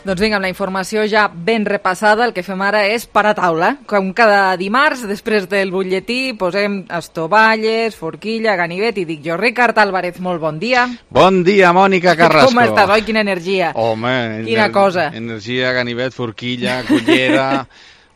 Doncs vinga, amb la informació ja ben repassada, el que fem ara és parar taula. Com cada dimarts, després del butlletí, posem estovalles, forquilla, ganivet, i dic jo, Ricard Álvarez, molt bon dia. Bon dia, Mònica Carrasco. Com estàs, oi? Quina energia. Home, quina cosa. Energia, ganivet, forquilla, cullera...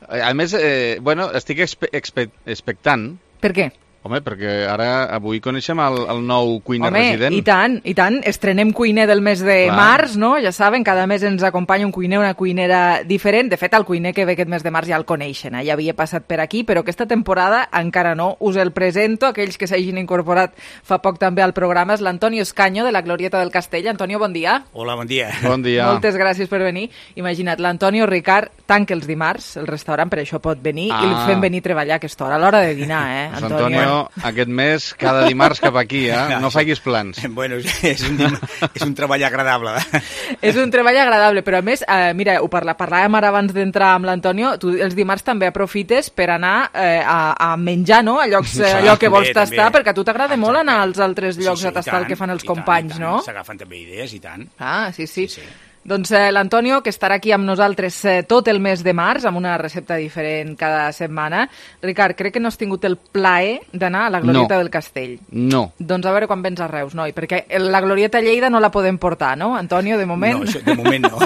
A més, estic expectant. Per què? Home, perquè ara avui coneixem el nou cuiner resident. Home, i tant. Estrenem cuiner del mes de març, no? Ja saben, cada mes ens acompanya un cuiner, una cuinera diferent. De fet, el cuiner que ve aquest mes de març ja el coneixen, ja havia passat per aquí, però aquesta temporada encara no. Us el presento, aquells que s'hagin incorporat fa poc també al programa, és l'Antonio Escaño, de la Glorieta del Castell. Antonio, bon dia. Hola, bon dia. Bon dia. Moltes gràcies per venir. Imagina't, l'Antonio Ricard tanca els dimarts, el restaurant, per això pot venir, i el fem venir a treballar a aquesta hora, a l'hora de dinar, Antonio, aquest mes, cada dimarts cap aquí, no facis plans. Bueno, és un treball agradable. És un treball agradable, però a més, mira, parlàvem ara abans d'entrar amb l'Antonio, tu els dimarts també aprofites per anar a menjar, no?, a llocs, allò que vols tastar, perquè a tu t'agrada molt anar als altres llocs a tastar el que fan els companys, no? S'agafen també idees, i tant. Ah, sí. Doncs l'Antonio, que estarà aquí amb nosaltres tot el mes de març, amb una recepta diferent cada setmana. Ricard, crec que no has tingut el plaer d'anar a la Glorieta del Castell. No. Doncs a veure quan vens a Reus, noi, perquè la Glorieta a Lleida no la podem portar, no, Antonio, de moment? No, de moment no.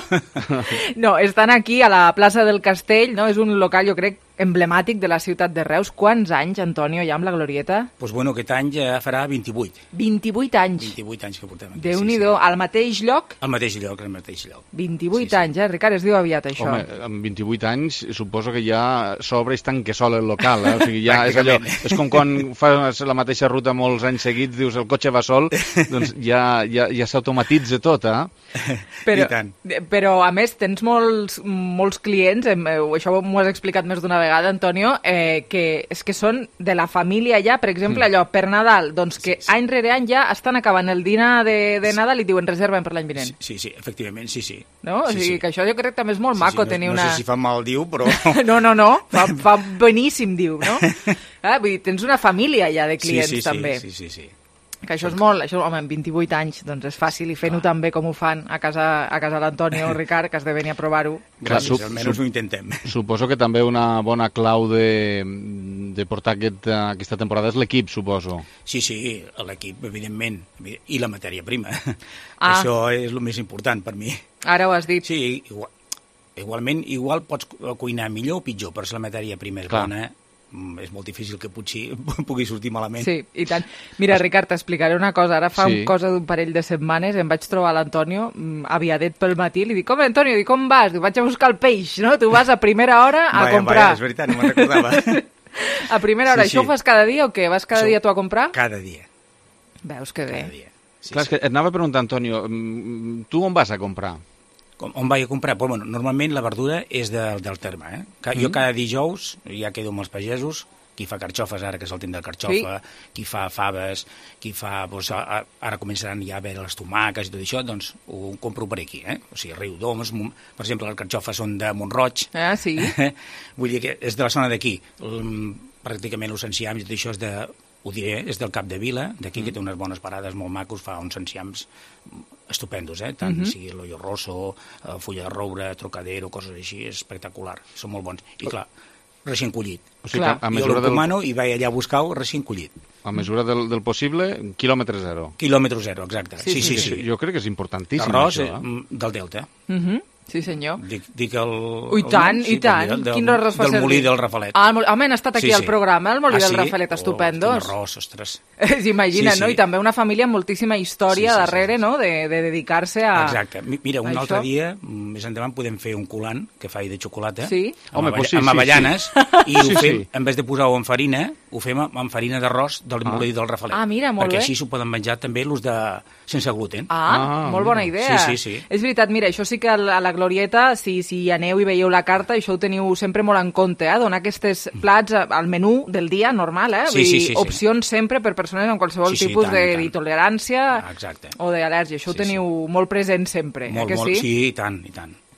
No, estan aquí a la plaça del Castell, no? És un local, jo crec, emblemàtic de la ciutat de Reus. Quants anys, Antonio, hi ha amb la Glorieta? Doncs bueno, aquest any ja farà 28. 28 anys? 28 anys que portem aquí. Déu-n'hi-do, al mateix lloc? Al mateix lloc. 28 anys, Ricard, es diu aviat, això. Home, amb 28 anys suposo que ja s'obre i es tanca sol el local, O sigui, ja és allò, és com quan fas la mateixa ruta molts anys seguits, dius el cotxe va sol, doncs ja s'automatitza tot, Però, a més, tens molts clients, això m'ho has explicat més d'una vegada, Antonio, que és que són de la família ja, per exemple, allò, per Nadal, doncs que any rere any ja estan acabant el dinar de Nadal i diuen reserven per l'any vinent. Sí, efectivament, sí. No? O sigui, que això jo crec que també és molt maco tenir una... No sé si fa mal, diu, però... No, fa beníssim, diu, no? Vull dir, tens una família ja de clients, també. Sí. Que això és molt, home, amb 28 anys, doncs és fàcil, i fent-ho també com ho fan a casa l'Antonio, Ricard, que has de venir a provar-ho. Gràcies, almenys ho intentem. Suposo que també una bona clau de portar aquesta temporada és l'equip, suposo. Sí, l'equip, evidentment, i la matèria prima. Això és el més important per mi. Ara ho has dit. Sí, igual pots cuinar millor o pitjor, però si la matèria prima és bona, és molt difícil que potser pugui sortir malament. Sí, i tant. Mira, Ricard, t'explicaré una cosa. Ara fa cosa d'un parell de setmanes em vaig trobar l'Antonio aviadet pel matí. Li dic, home, Antonio, com vas? Dic, vaig a buscar el peix, no? Tu vas a primera hora a comprar. És veritat, no me'n recordava. A primera hora. Això ho fas cada dia o què? Vas cada dia tu a comprar? Cada dia. Veus que bé. Cada dia. Clar, és que et anava a preguntar, Antonio, tu on vas a comprar? On vaig a comprar? Pues, bueno, normalment la verdura és del terme. Jo cada dijous ja quedo amb els pagesos, qui fa carxofes ara, que és el temps de carxofa, qui fa faves, qui fa... Doncs, ara començaran ja a veure les tomaques i tot això, doncs ho compro per aquí. O sigui, Riudoms, per exemple, les carxofes són de Montroig. Ah, sí? Vull dir que és de la zona d'aquí. Pràcticament els enciams i tot això és de... Ho diré, és del Cap de Vila, d'aquí, que té unes bones parades molt macos, fa uns enciams estupendos, tant sigui l'Ollo Rosso, Fulla de Roure, Trocadero, coses així, és espectacular, són molt bons. I clar, recient collit. O sigui, jo l'encomano i vaig allà a buscar-ho recient collit. A mesura del possible, quilòmetre zero. Quilòmetre zero, exacte. Sí. Jo crec que és importantíssim, l'arròs això. Del Delta. Sí, senyor. Dic el... I tant. Quin arròs fa servir? Del molí del Rafalet. Home, han estat aquí al programa, el molí del Rafalet, estupendos. Quin arròs, ostres. S'imagina, no? I també una família amb moltíssima història darrere, no?, de dedicar-se a... Exacte. Mira, un altre dia, més endavant, podem fer un colant que faig de xocolata, amb avellanes, i ho fem, en vez de posar-ho en farina, ho fem amb farina d'arròs del molí del Rafalet. Ah, mira, molt bé. Perquè així s'ho poden menjar també els de sense gluten. Molt bona idea. Sí. És veritat, mira, això sí que a la Glorieta, si aneu i veieu la carta, això ho teniu sempre molt en compte, donar aquests plats al menú del dia normal, opcions sempre per persones amb qualsevol tipus d'intolerància o d'al·lèrgia. Això ho teniu molt present sempre, molt, que sí? Sí, i tant.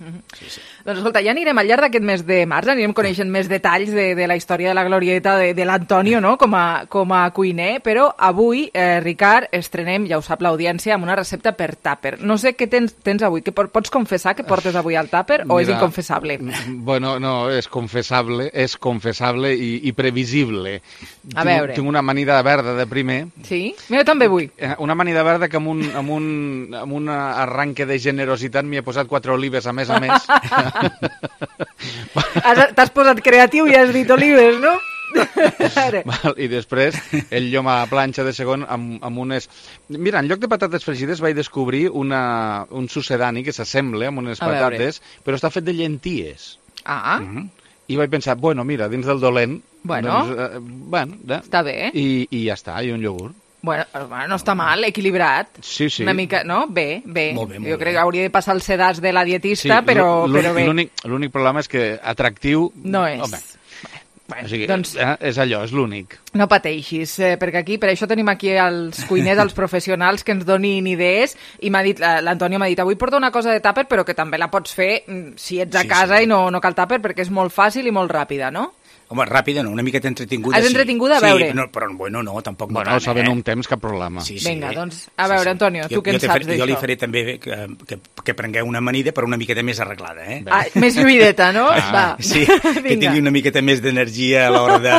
Doncs escolta, ja anirem al llarg d'aquest mes de març, anirem coneixent més detalls de la història de la glorieta de l'Antonio, no?, com a cuiner, però avui, Ricard, estrenem, ja ho sap l'audiència, amb una recepta per tàper. No sé què tens avui, que pots confessar que portes avui al tàper o és inconfessable? Bueno, no, és confessable i previsible. A veure. Tinc una amanida verda de primer. Sí? Jo també vull. Una amanida verda que amb un arranque de generositat m'hi he posat 4 olives a més. T'has posat creatiu i has dit olives, no? I després el llom a planxa de segon amb unes... Mira, en lloc de patates fregides vaig descobrir un sucedani que s'assembla amb unes patates, però està fet de llenties. I vaig pensar, bueno, mira, dins del dolent... Bueno, està bé. I ja està, i un iogurt. Bueno, no està mal, equilibrat. Sí. Una mica, no? Bé. Molt bé, jo crec que hauria de passar el sedàs de la dietista, però bé. L'únic problema és que atractiu... No és. Home, o sigui, doncs, és allò, és l'únic. No pateixis, perquè per això tenim aquí els cuiners, els professionals que ens donin idees, i l'Antonio m'ha dit, avui porto una cosa de tàper, però que també la pots fer si ets a casa i no cal tàper, perquè és molt fàcil i molt ràpida, no? Home, ràpida no, una miqueta entretinguda. Has entretinguda, a veure. Sí, però bueno, no, tampoc no tant, saben un temps, cap problema. Vinga, doncs, a veure, Antonio, tu què en saps d'això? Jo li faré també que prengueu una amanida, però una miqueta més arreglada, eh? Més lluïdeta, no? Va. Sí, que tingui una miqueta més d'energia a l'hora de...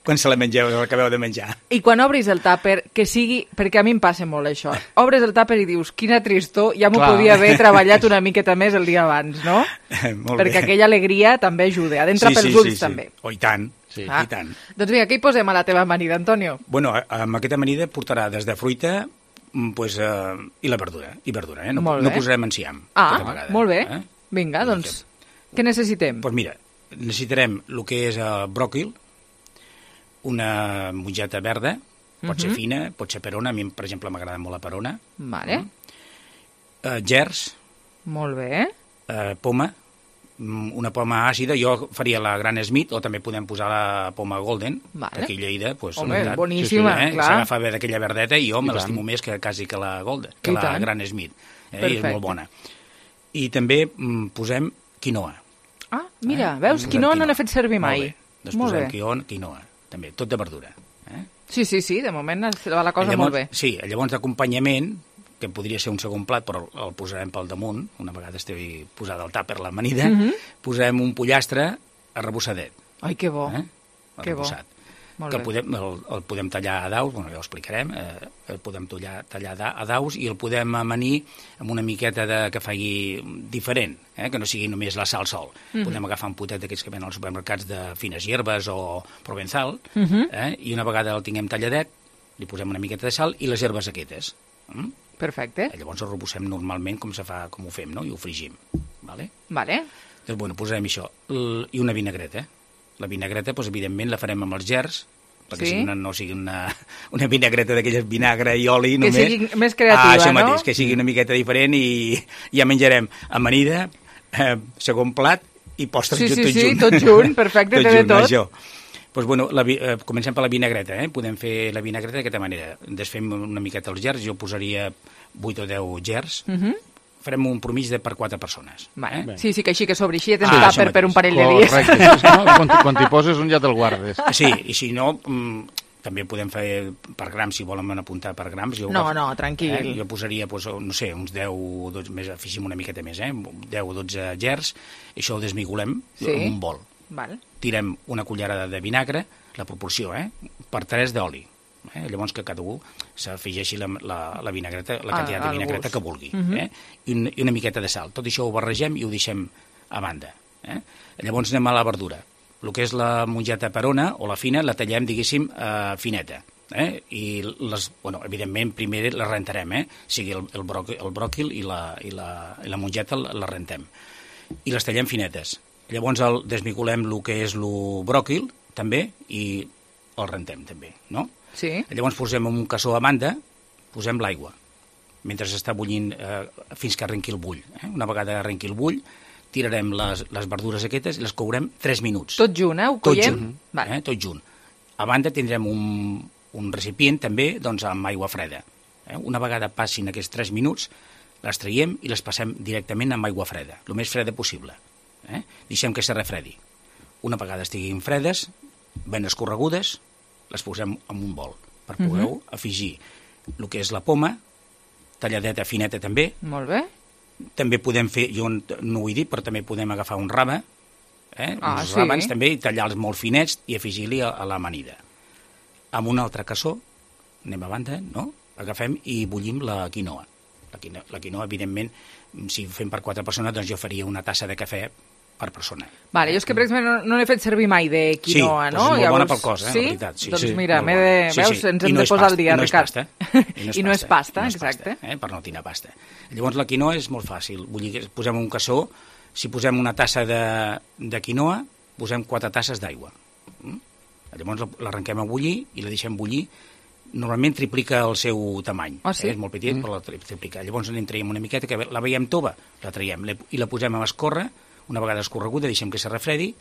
quan se la mengeu, l'acabeu de menjar. I quan obris el tàper, que sigui... Perquè a mi em passa molt això. Obres el tàper i dius, quina tristor, ja m'ho podia haver treballat una miqueta més el dia abans, no? Perquè aquella alegria també ajuda, ha d'entrar pels ulls també. Oh, i tant. Sí, i tant. Doncs vinga, què hi posem a la teva amanida, Antonio? Bueno, amb aquesta amanida portarà des de fruita i la verdura, no posarem enciam. Molt bé. Vinga, doncs, què necessitem? Doncs mira, necessitarem el que és bròquil, una mongeta verda, pot ser fina, pot ser perona, a mi, per exemple, m'agrada molt la perona. Vale. Gerds. Molt bé. Poma, una poma àcida, jo faria la Gran Smith, o també podem posar la poma Golden, aquí a Lleida. Home, boníssima, clar. S'agafa bé d'aquella verdeta i jo me l'estimo més que quasi que la Golden, que la Gran Smith. I és molt bona. I també posem quinoa. Ah, mira, veus? Quinoa no n'he fet servir mai. Doncs posem quinoa, també, tot de verdura. Sí, de moment va la cosa molt bé. Sí, llavors d'acompanyament, que podria ser un segon plat, però el posarem pel damunt, una vegada estigui posada al tàper l'amanida, posem un pollastre arrebossadet. Ai, que bo, que bo. Que el podem tallar a daus, bueno, ja ho explicarem, el podem tallar a daus i el podem amanir amb una miqueta que faci diferent, que no sigui només la sal sol. Podem agafar un potet d'aquests que venen als supermercats de fines hierbes o provenzal, i una vegada el tinguem talladet, li posem una miqueta de sal i les herbes aquestes. Perfecte. Llavors el rebussem normalment com ho fem, no? I ho fregim. Vale? Doncs, bueno, posarem això. I una vinagreta. La vinagreta, doncs, evidentment, la farem amb els gerds, perquè no sigui una vinagreta d'aquelles vinagre i oli només. Que sigui més creativa, això mateix, que sigui una miqueta diferent i ja menjarem amanida, segon plat i postres tot junt. Sí, tot junt, perfecte, té de tot. Això. Doncs, bueno, comencem per la vinagreta, Podem fer la vinagreta d'aquesta manera. Desfem una miqueta els gerds, jo posaria 8 o 10 gerds, farem un promís per 4 persones. Sí, que així que s'obri així, tens tàper per un parell de dies. Correcte, quan t'hi poses un ja te'l guardes. Sí, i si no, també podem fer per grams, si volen apuntar per grams. No, tranquil. Jo posaria, no sé, uns 10 o 12, afegim una miqueta més, 10 o 12 gerds, i això ho desmigolem en un bol. Tirem una cullerada de vinagre, la proporció, per 3 d'oli. Llavors que cada un s'afegeixi la vinagreta, la quantitat de vinagreta que vulgui. I una miqueta de sal. Tot això ho barregem i ho deixem a banda. Llavors anem a la verdura. El que és la mongeta perona o la fina la tallem, diguéssim, fineta. I evidentment primer la rentarem, sigui el bròquil i la mongeta la rentem. I les tallem finetes. Llavors desmigolem el que és el bròquil, també, i el rentem, també, no? Sí. Llavors posem en un cassó a banda, posem l'aigua, mentre està bullint fins que arrenqui el bull. Una vegada arrenqui el bull, tirarem les verdures aquestes i les courem 3 minuts. Tot junt, ho collem? Tot junt. A banda tindrem un recipient, també, amb aigua freda. Una vegada passin aquests 3 minuts, les traiem i les passem directament amb aigua freda, el més freda possible. Deixem que se refredi. Una vegada estiguin fredes, ben escorregudes, les posem en un bol per poder afegir el que és la poma, talladeta fineta també. Molt bé. També podem fer, jo no ho he dit, però també podem agafar un rave, uns ràbans també, i tallar-los molt finets i afegir-li a l'amanida. Amb un altre cassó, anem a banda, no? Agafem i bullim la quinoa. La quinoa, evidentment, si fem per 4 persones, doncs jo faria una tassa de cafè per persona. Vale, jo és que, per exemple, no n'he fet servir mai de quinoa, no? Sí, és molt bona pel cos, la veritat. Sí? Doncs mira, veus, ens hem de posar al dia, Ricard. I no és pasta, exacte. Per no tirar pasta. Llavors la quinoa és molt fàcil. Posem un cassó, si posem una tassa de quinoa, posem 4 tasses d'aigua. Llavors l'arrenquem a bullir i la deixem bullir. Normalment triplica el seu tamany. És molt petit, però la triplica. Llavors en traiem una miqueta, que la veiem tova, la traiem i la posem a escórrer. Una vegada escorreguda deixem que se refredi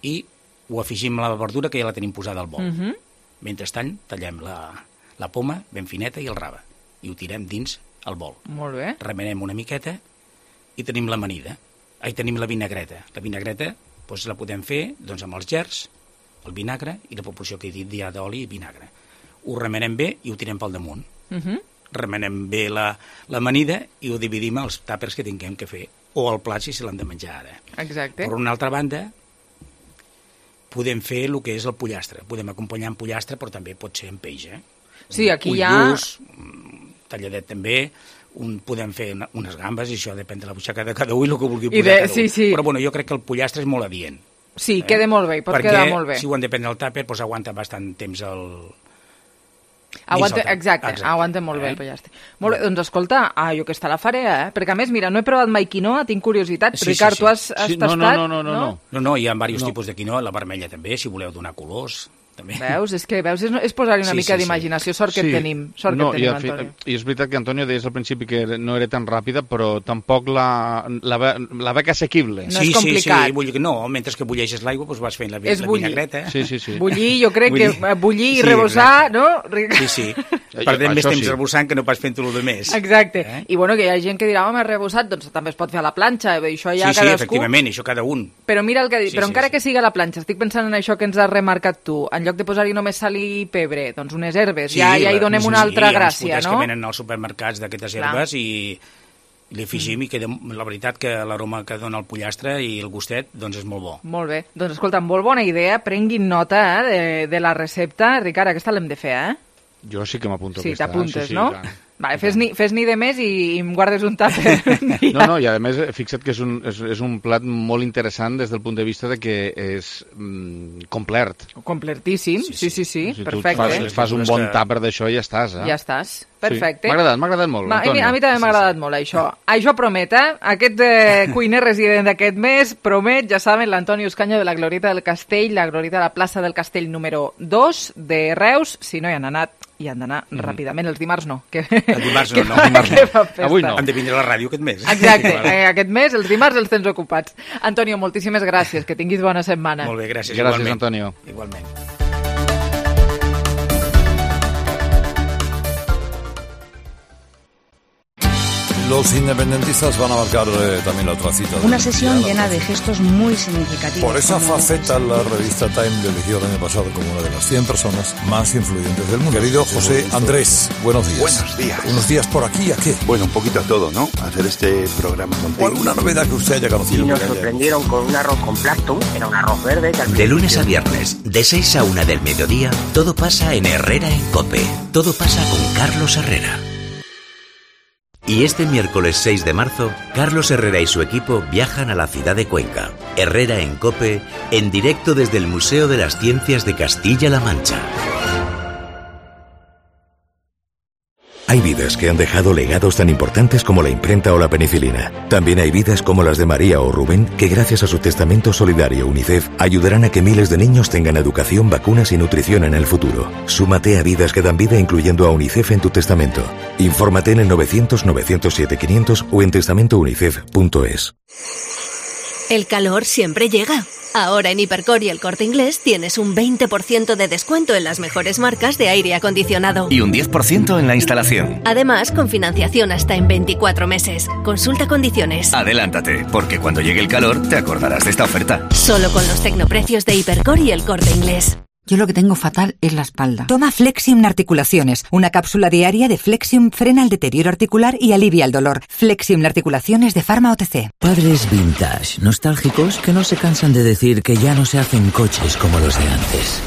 i ho afegim a la verdura que ja la tenim posada al bol. Mentrestant tallem la poma ben fineta i el rave i ho tirem dins el bol. Molt bé. Remenem una miqueta i tenim l'amanida. Tenim la vinagreta. La vinagreta doncs, la podem fer amb els gerds, el vinagre i la proporció que he dit ja d'oli i vinagre. Ho remenem bé i ho tirem pel damunt. Remenem bé l'amanida i ho dividim als tàpers que tinguem que fer, o al plat si se l'han de menjar ara. Exacte. Per una altra banda, podem fer el que és el pollastre. Podem acompanyar amb pollastre, però també pot ser amb peix. Sí, aquí hi ha... Ullús, talladet també, podem fer unes gambes, i això depèn de la butxaca de cada un i el que vulgui posar cada un. Sí. Però bueno, jo crec que el pollastre és molt adient. Sí, queda molt bé, pot quedar molt bé. Perquè si ho han de prendre al tàper, doncs aguanta bastant temps Aguanta molt bé el pollastre. Molt bé, doncs escolta, jo aquesta la faré, perquè a més, mira, no he provat mai quinoa, tinc curiositat. Ricard, tu has tastat? No, hi ha diversos tipus de quinoa, la vermella també, si voleu donar colors. També. Veus? És posar-hi una mica d'imaginació, sort que tenim, Antonio. I és veritat que Antonio deies al principi que no era tan ràpida, però tampoc la veig assequible. No és complicat. Sí, mentre que bulleixes l'aigua, doncs vas fent la vinagreta. Sí. Bullir, jo crec que bullir i rebossar, no? Sí. Perdem més temps rebossant que no pas fent-ho el més. Exacte. I bueno, que hi ha gent que dirà, home, rebossat, doncs també es pot fer a la planxa, això ja cadascú... Sí, efectivament, això cada un. Però mira el que dic, però encara que sigui a la planxa, estic pensant en això que ens has remarcat tu, en lloc de posar-hi només sal i pebre, doncs unes herbes, ja hi donem una altra gràcia, no? Sí, que venen als supermercats d'aquestes herbes i li afegim i queda, la veritat que l'aroma que dona el pollastre i el gustet doncs és molt bo. Molt bé, doncs escolta, molt bona idea, prenguin nota de la recepta. Ricard, aquesta l'hem de fer, Jo sí que m'apunto aquesta. Sí, t'apuntes, no? Vale, fes-n'hi de més i em guardes un tàper. No, i a més, fixa't que és un plat molt interessant des del punt de vista de que és complet. Completíssim, sí, perfecte. Si fas un bon tàper d'això i ja estàs, Ja estàs, perfecte. Sí. M'ha agradat molt, Antonio. A mi també m'ha agradat molt, això. Això promet, Aquest cuiner resident d'aquest mes promet, ja saben, l'Antonio Uscaño de la Glorieta del Castell, la Glorieta de la plaça del Castell número 2 de Reus. Si no hi han anat, hi han d'anar ràpidament. Els dimarts no. El dimarts no. Avui no. Han de vindre a la ràdio aquest mes. Exacte, aquest mes, els dimarts els tens ocupats. Antonio, moltíssimes gràcies, que tinguis bona setmana. Molt bé, gràcies. Gràcies, Antonio. Igualment. Los independentistas van a marcar también la otra cita. Una sesión llena de gestos muy significativos. Por esa faceta, la revista Time le eligió el año pasado como una de las 100 personas más influyentes del mundo. Querido José Andrés, buenos días. Buenos días. ¿Unos días por aquí a qué? Bueno, un poquito a todo, ¿no? Hacer este programa contigo. ¿O alguna novedad que usted haya conocido? Y nos sorprendieron con un arroz con Plankton, era un arroz verde. De lunes a viernes, de 6 a 1 del mediodía, todo pasa en Herrera en COPE. Todo pasa con Carlos Herrera. Y este miércoles 6 de marzo, Carlos Herrera y su equipo viajan a la ciudad de Cuenca. Herrera en COPE, en directo desde el Museo de las Ciencias de Castilla-La Mancha. Hay vidas que han dejado legados tan importantes como la imprenta o la penicilina. También hay vidas como las de María o Rubén, que gracias a su testamento solidario UNICEF ayudarán a que miles de niños tengan educación, vacunas y nutrición en el futuro. Súmate a Vidas que dan vida incluyendo a UNICEF en tu testamento. Infórmate en el 900 907 500 o en testamentounicef.es. El calor siempre llega. Ahora en Hipercor y El Corte Inglés tienes un 20% de descuento en las mejores marcas de aire acondicionado. Y un 10% en la instalación. Además, con financiación hasta en 24 meses. Consulta condiciones. Adelántate, porque cuando llegue el calor te acordarás de esta oferta. Solo con los tecnoprecios de Hipercor y El Corte Inglés. Yo lo que tengo fatal es la espalda. Toma Flexium Articulaciones. Una cápsula diaria de Flexium frena el deterioro articular y alivia el dolor. Flexium Articulaciones de Pharma OTC. Padres vintage, nostálgicos, que no se cansan de decir que ya no se hacen coches como los de antes.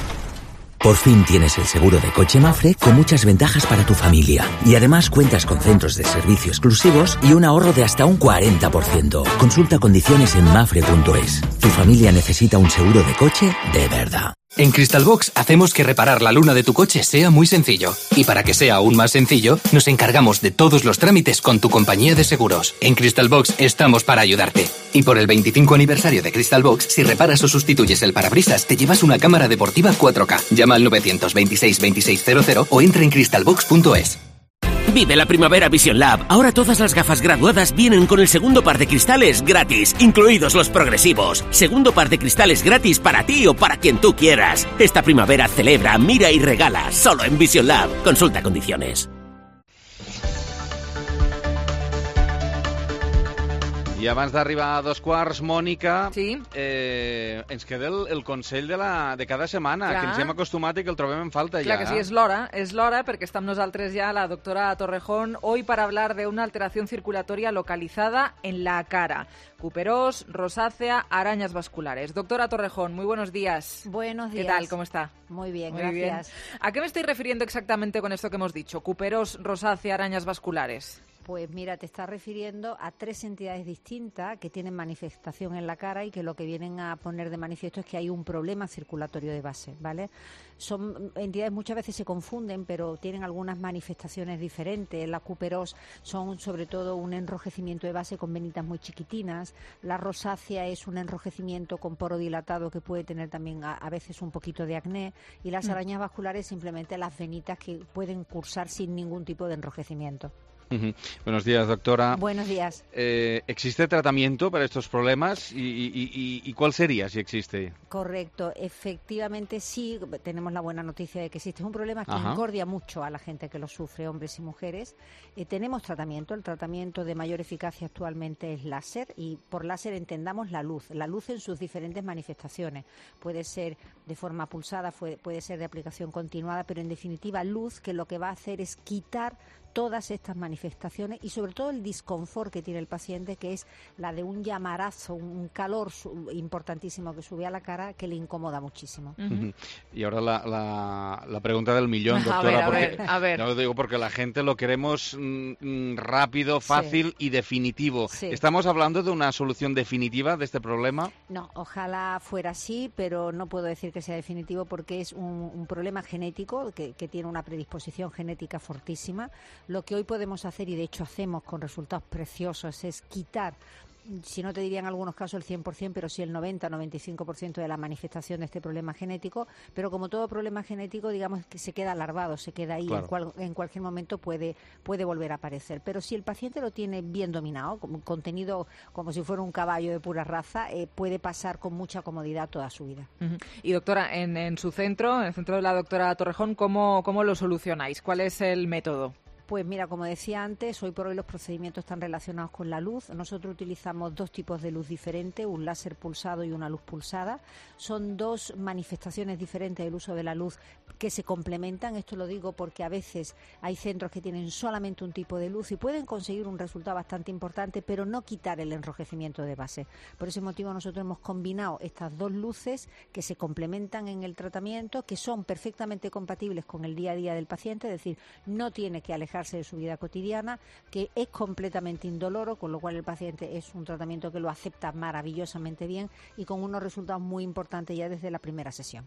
Por fin tienes el seguro de coche Mapfre con muchas ventajas para tu familia. Y además cuentas con centros de servicio exclusivos y un ahorro de hasta un 40%. Consulta condiciones en mapfre.es. Tu familia necesita un seguro de coche de verdad. En Crystalbox hacemos que reparar la luna de tu coche sea muy sencillo. Y para que sea aún más sencillo, nos encargamos de todos los trámites con tu compañía de seguros. En Crystalbox estamos para ayudarte. Y por el 25 aniversario de Crystalbox, si reparas o sustituyes el parabrisas, te llevas una cámara deportiva 4K. Llama al 926 2600 o entra en crystalbox.es. Vive la primavera Vision Lab. Ahora todas las gafas graduadas vienen con el segundo par de cristales gratis, incluidos los progresivos. Segundo par de cristales gratis para ti o para quien tú quieras. Esta primavera celebra, mira y regala. Solo en Vision Lab. Consulta condiciones. I abans d'arribar a 2:15, Mònica, sí? Ens queda el consell de cada setmana, Clar. que ens hem acostumat i que el trobem en falta. Clar ja. que sí, és l'hora, perquè està amb nosaltres ja la doctora Torrejón, hoy para hablar de una alteración circulatoria localizada en la cara. Cuperós, rosácea, arañas vasculares. Doctora Torrejón, muy buenos días. Buenos días. ¿Qué tal? ¿Cómo está? Muy bien, Muy gracias. bien. ¿A qué me estoy refiriendo exactamente con esto que hemos dicho? Cuperós, rosácea, arañas vasculares. Pues mira, te estás refiriendo a 3 entidades distintas que tienen manifestación en la cara y que lo que vienen a poner de manifiesto es que hay un problema circulatorio de base, ¿vale? Son entidades, muchas veces se confunden, pero tienen algunas manifestaciones diferentes. La cuperós son sobre todo un enrojecimiento de base con venitas muy chiquitinas. La rosácea es un enrojecimiento con poro dilatado que puede tener también a veces un poquito de acné. Y las arañas vasculares simplemente las venitas que pueden cursar sin ningún tipo de enrojecimiento. Buenos días, doctora. Buenos días. ¿Existe tratamiento para estos problemas? ¿Y cuál sería, si existe? Correcto. Efectivamente, sí, tenemos la buena noticia de que existe. Es un problema que incordia mucho a la gente que lo sufre, hombres y mujeres. Tenemos tratamiento. El tratamiento de mayor eficacia actualmente es láser, y por láser entendamos la luz en sus diferentes manifestaciones. Puede ser de forma pulsada, puede ser de aplicación continuada, pero en definitiva luz, que lo que va a hacer es quitar todas estas manifestaciones y sobre todo el disconfort que tiene el paciente, que es la de un llamarazo, un calor importantísimo que sube a la cara, que le incomoda muchísimo. Y ahora la pregunta del millón, doctora. A ver. No lo digo porque la gente lo queremos rápido, fácil y definitivo. Sí. ¿Estamos hablando de una solución definitiva de este problema? No, ojalá fuera así, pero no puedo decir que sea definitivo porque es un problema genético que tiene una predisposición genética fortísima. Lo que hoy podemos hacer, y de hecho hacemos con resultados preciosos, es quitar, si no te diría en algunos casos el 100%, pero sí el 90-95% de la manifestación de este problema genético. Pero como todo problema genético, digamos que se queda larvado, se queda ahí, claro. En cualquier momento puede volver a aparecer. Pero si el paciente lo tiene bien dominado, contenido como si fuera un caballo de pura raza, puede pasar con mucha comodidad toda su vida. Y doctora, en su centro, en el centro de la doctora Torrejón, ¿cómo lo solucionáis? ¿Cuál es el método? Pues mira, como decía antes, hoy por hoy los procedimientos están relacionados con la luz. Nosotros utilizamos 2 tipos de luz diferentes, un láser pulsado y una luz pulsada. Son 2 manifestaciones diferentes del uso de la luz que se complementan. Esto lo digo porque a veces hay centros que tienen solamente un tipo de luz y pueden conseguir un resultado bastante importante, pero no quitar el enrojecimiento de base. Por ese motivo nosotros hemos combinado estas 2 luces que se complementan en el tratamiento, que son perfectamente compatibles con el día a día del paciente, es decir, no tiene que alejarse de su vida cotidiana, que es completamente indoloro, con lo cual el paciente es un tratamiento que lo acepta maravillosamente bien y con unos resultados muy importantes ya desde la primera sesión.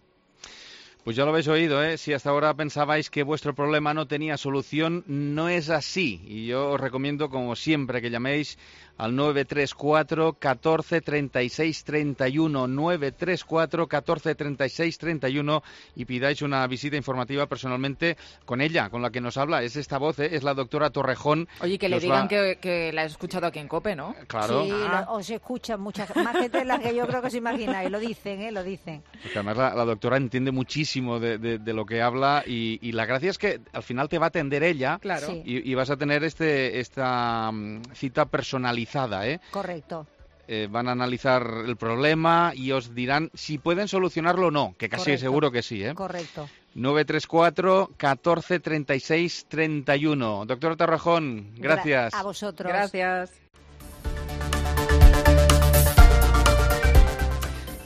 Pues ya lo habéis oído, ¿eh? Si hasta ahora pensabais que vuestro problema no tenía solución, no es así. Y yo os recomiendo, como siempre, que llaméis al 934 14 36 31, 934 14 36 31 y pidáis una visita informativa personalmente con ella, con la que nos habla. Es esta voz, es la doctora Torrejón. Oye, que le digan que la he escuchado aquí en COPE, ¿no? Claro. Sí, os escuchan muchas más gente de las que yo creo que os imagináis. Lo dicen, lo dicen. Porque además la doctora entiende muchísimo de lo que habla y la gracia es que al final te va a atender ella. Claro. Sí. Y vas a tener esta cita personalizada. Correcto. Van a analizar el problema y os dirán si pueden solucionarlo o no, que casi Correcto. seguro que sí. Correcto. 934 14 36 31. Doctor Torrejón, gracias. A vosotros. Gracias.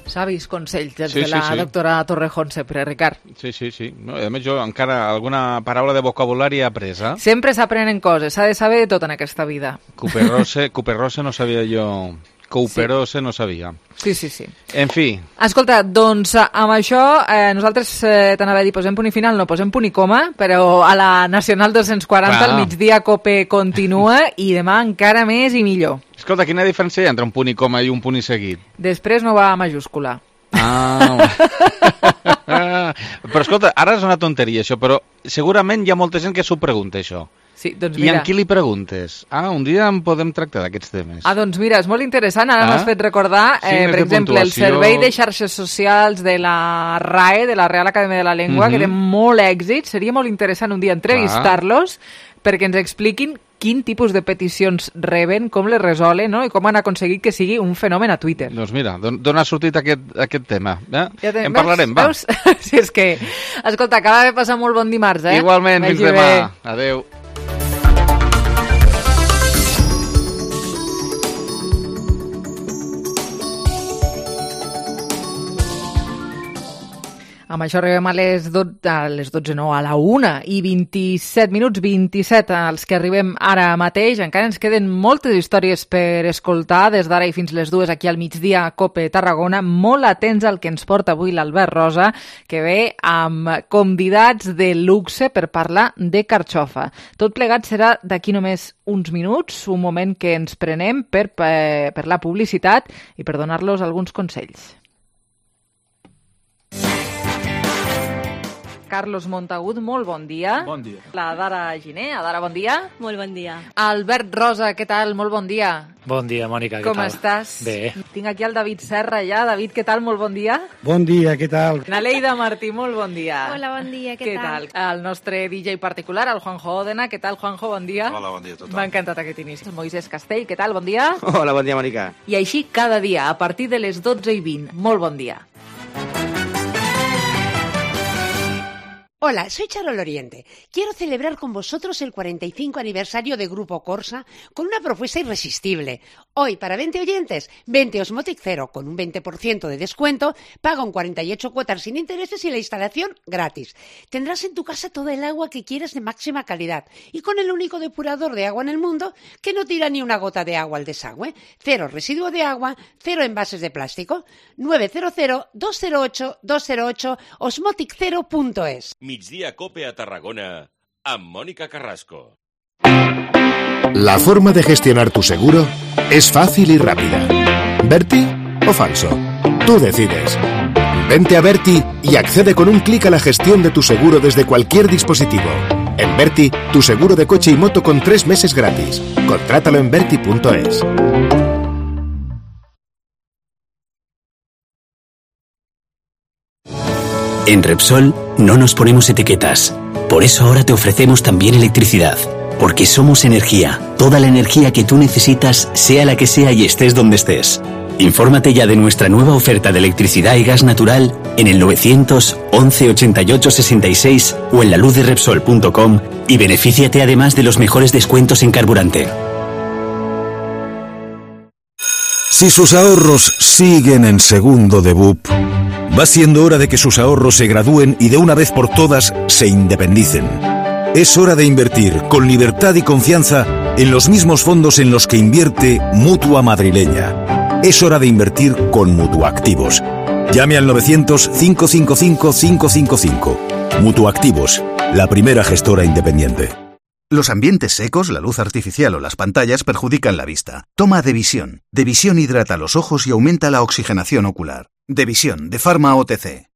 Savis consells de la doctora Torrejón sempre, Ricard. Sí. No, a més, jo encara alguna paraula de vocabulari he après, eh? Sempre s'aprenen coses, s'ha de saber tot en aquesta vida. Cuperrose no sabia jo. Couperose no sabia. Sí. En fi. Escolta, doncs amb això nosaltres t'anava a dir posem punt i final, no posem punt i coma, però a la Nacional 240 al migdia COPE continua i demà encara més i millor. Escolta, quina diferència hi ha entre un punt i coma i un punt i seguit? Després no va a majúscula. Però escolta, ara és una tonteria això, però segurament hi ha molta gent que s'ho pregunta això. Sí, doncs mira. I amb qui li preguntes? Un dia en podem tractar d'aquests temes. Doncs mira, és molt interessant. Ara m'has fet recordar, per exemple, el servei de xarxes socials de la RAE, de la Real Acadèmia de la Llengua, que té molt èxit. Seria molt interessant un dia entrevistar-los perquè ens expliquin quin tipus de peticions reben, com les resolen, no? I com han aconseguit que sigui un fenomen a Twitter. Doncs mira, d'on ha sortit aquest tema? En parlarem, va. Veus? Si és que... Escolta, acaba de passar molt bon dimarts, eh? Igualment, fins demà. Adéu. Amb això arribem a les 12, no, a la 1 i 27 minuts, 27 als que arribem ara mateix. Encara ens queden moltes històries per escoltar des d'ara i fins les 2 aquí al migdia a COPE Tarragona. Molt atents al que ens porta avui l'Albert Rosa, que ve amb convidats de luxe per parlar de carxofa. Tot plegat serà d'aquí només uns minuts, un moment que ens prenem per la publicitat i per donar-los alguns consells. Carlos Montagut, molt bon dia. Bon dia. La Dara Giner, Dara, bon dia. Molt bon dia. Albert Rosa, què tal? Molt bon dia. Bon dia, Mònica, què tal? Com estàs? Bé. Tinc aquí el David Serra ja. David, què tal? Molt bon dia. Bon dia, què tal? Naleida Martí, molt bon dia. Hola, bon dia, què tal? El nostre DJ particular, el Juanjo Òdena, què tal, Juanjo? Bon dia. Hola, bon dia a tothom. M'ha encantat aquest inici. Moisés Castell, què tal? Bon dia. Hola, bon dia, Mònica. I així cada dia, a partir de les 12:20. Molt bon dia. Hola, soy Charol Oriente. Quiero celebrar con vosotros el 45 aniversario de Grupo Corsa con una propuesta irresistible. Hoy, para 20 oyentes, 20 Osmotic Zero con un 20% de descuento, paga un 48 cuotas sin intereses y la instalación gratis. Tendrás en tu casa toda el agua que quieras de máxima calidad y con el único depurador de agua en el mundo que no tira ni una gota de agua al desagüe. Cero residuo de agua, cero envases de plástico. 900-208-208 osmoticzero.es. Migdia COPE a Tarragona amb Mónica Carrasco. La forma de gestionar tu seguro es fácil y rápida. ¿Berti o falso? Tú decides. Vente a Berti y accede con un clic a la gestión de tu seguro desde cualquier dispositivo. En Berti, tu seguro de coche y moto con 3 meses gratis. Contrátalo en berti.es. En Repsol no nos ponemos etiquetas. Por eso ahora te ofrecemos también electricidad. Porque somos energía. Toda la energía que tú necesitas, sea la que sea y estés donde estés. Infórmate ya de nuestra nueva oferta de electricidad y gas natural en el 911 88 66 o en laluzderepsol.com y benefíciate además de los mejores descuentos en carburante. Si sus ahorros siguen en segundo de BUP, va siendo hora de que sus ahorros se gradúen y de una vez por todas se independicen. Es hora de invertir con libertad y confianza en los mismos fondos en los que invierte Mutua Madrileña. Es hora de invertir con Mutuactivos. Llame al 900-555-555. Mutuactivos, la primera gestora independiente. Los ambientes secos, la luz artificial o las pantallas perjudican la vista. Toma Devisión. Devisión hidrata los ojos y aumenta la oxigenación ocular. Devisión, de Pharma OTC.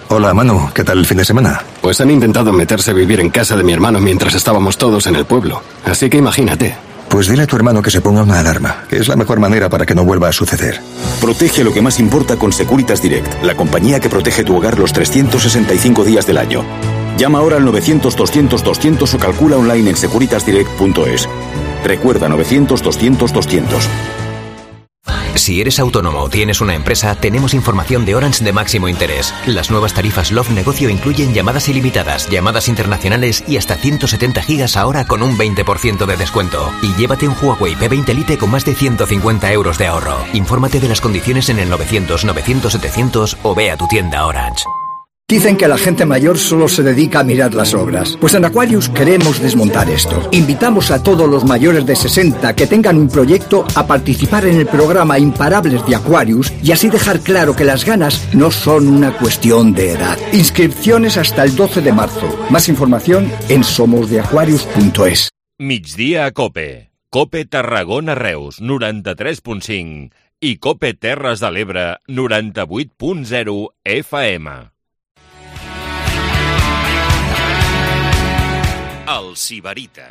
Hola, Manu, ¿qué tal el fin de semana? Pues han intentado meterse a vivir en casa de mi hermano mientras estábamos todos en el pueblo. Así que imagínate. Pues dile a tu hermano que se ponga una alarma, que es la mejor manera para que no vuelva a suceder. Protege lo que más importa con Securitas Direct, la compañía que protege tu hogar los 365 días del año. Llama ahora al 900-200-200 o calcula online en securitasdirect.es. Recuerda 900-200-200. Si eres autónomo o tienes una empresa, tenemos información de Orange de máximo interés. Las nuevas tarifas Love Negocio incluyen llamadas ilimitadas, llamadas internacionales y hasta 170 gigas ahora con un 20% de descuento. Y llévate un Huawei P20 Lite con más de 150 euros de ahorro. Infórmate de las condiciones en el 900-900-700 o ve a tu tienda Orange. Dicen que la gente mayor solo se dedica a mirar las obras. Pues en Aquarius queremos desmontar esto. Invitamos a todos los mayores de 60 que tengan un proyecto a participar en el programa Imparables de Aquarius y así dejar claro que las ganas no son una cuestión de edad. Inscripciones hasta el 12 de marzo. Más información en somosdeaquarius.es. Migdia a Cope. Cope Tarragona Reus, 93.5 i Cope Terres de l'Ebre, 98.0 FM. El Sibarita.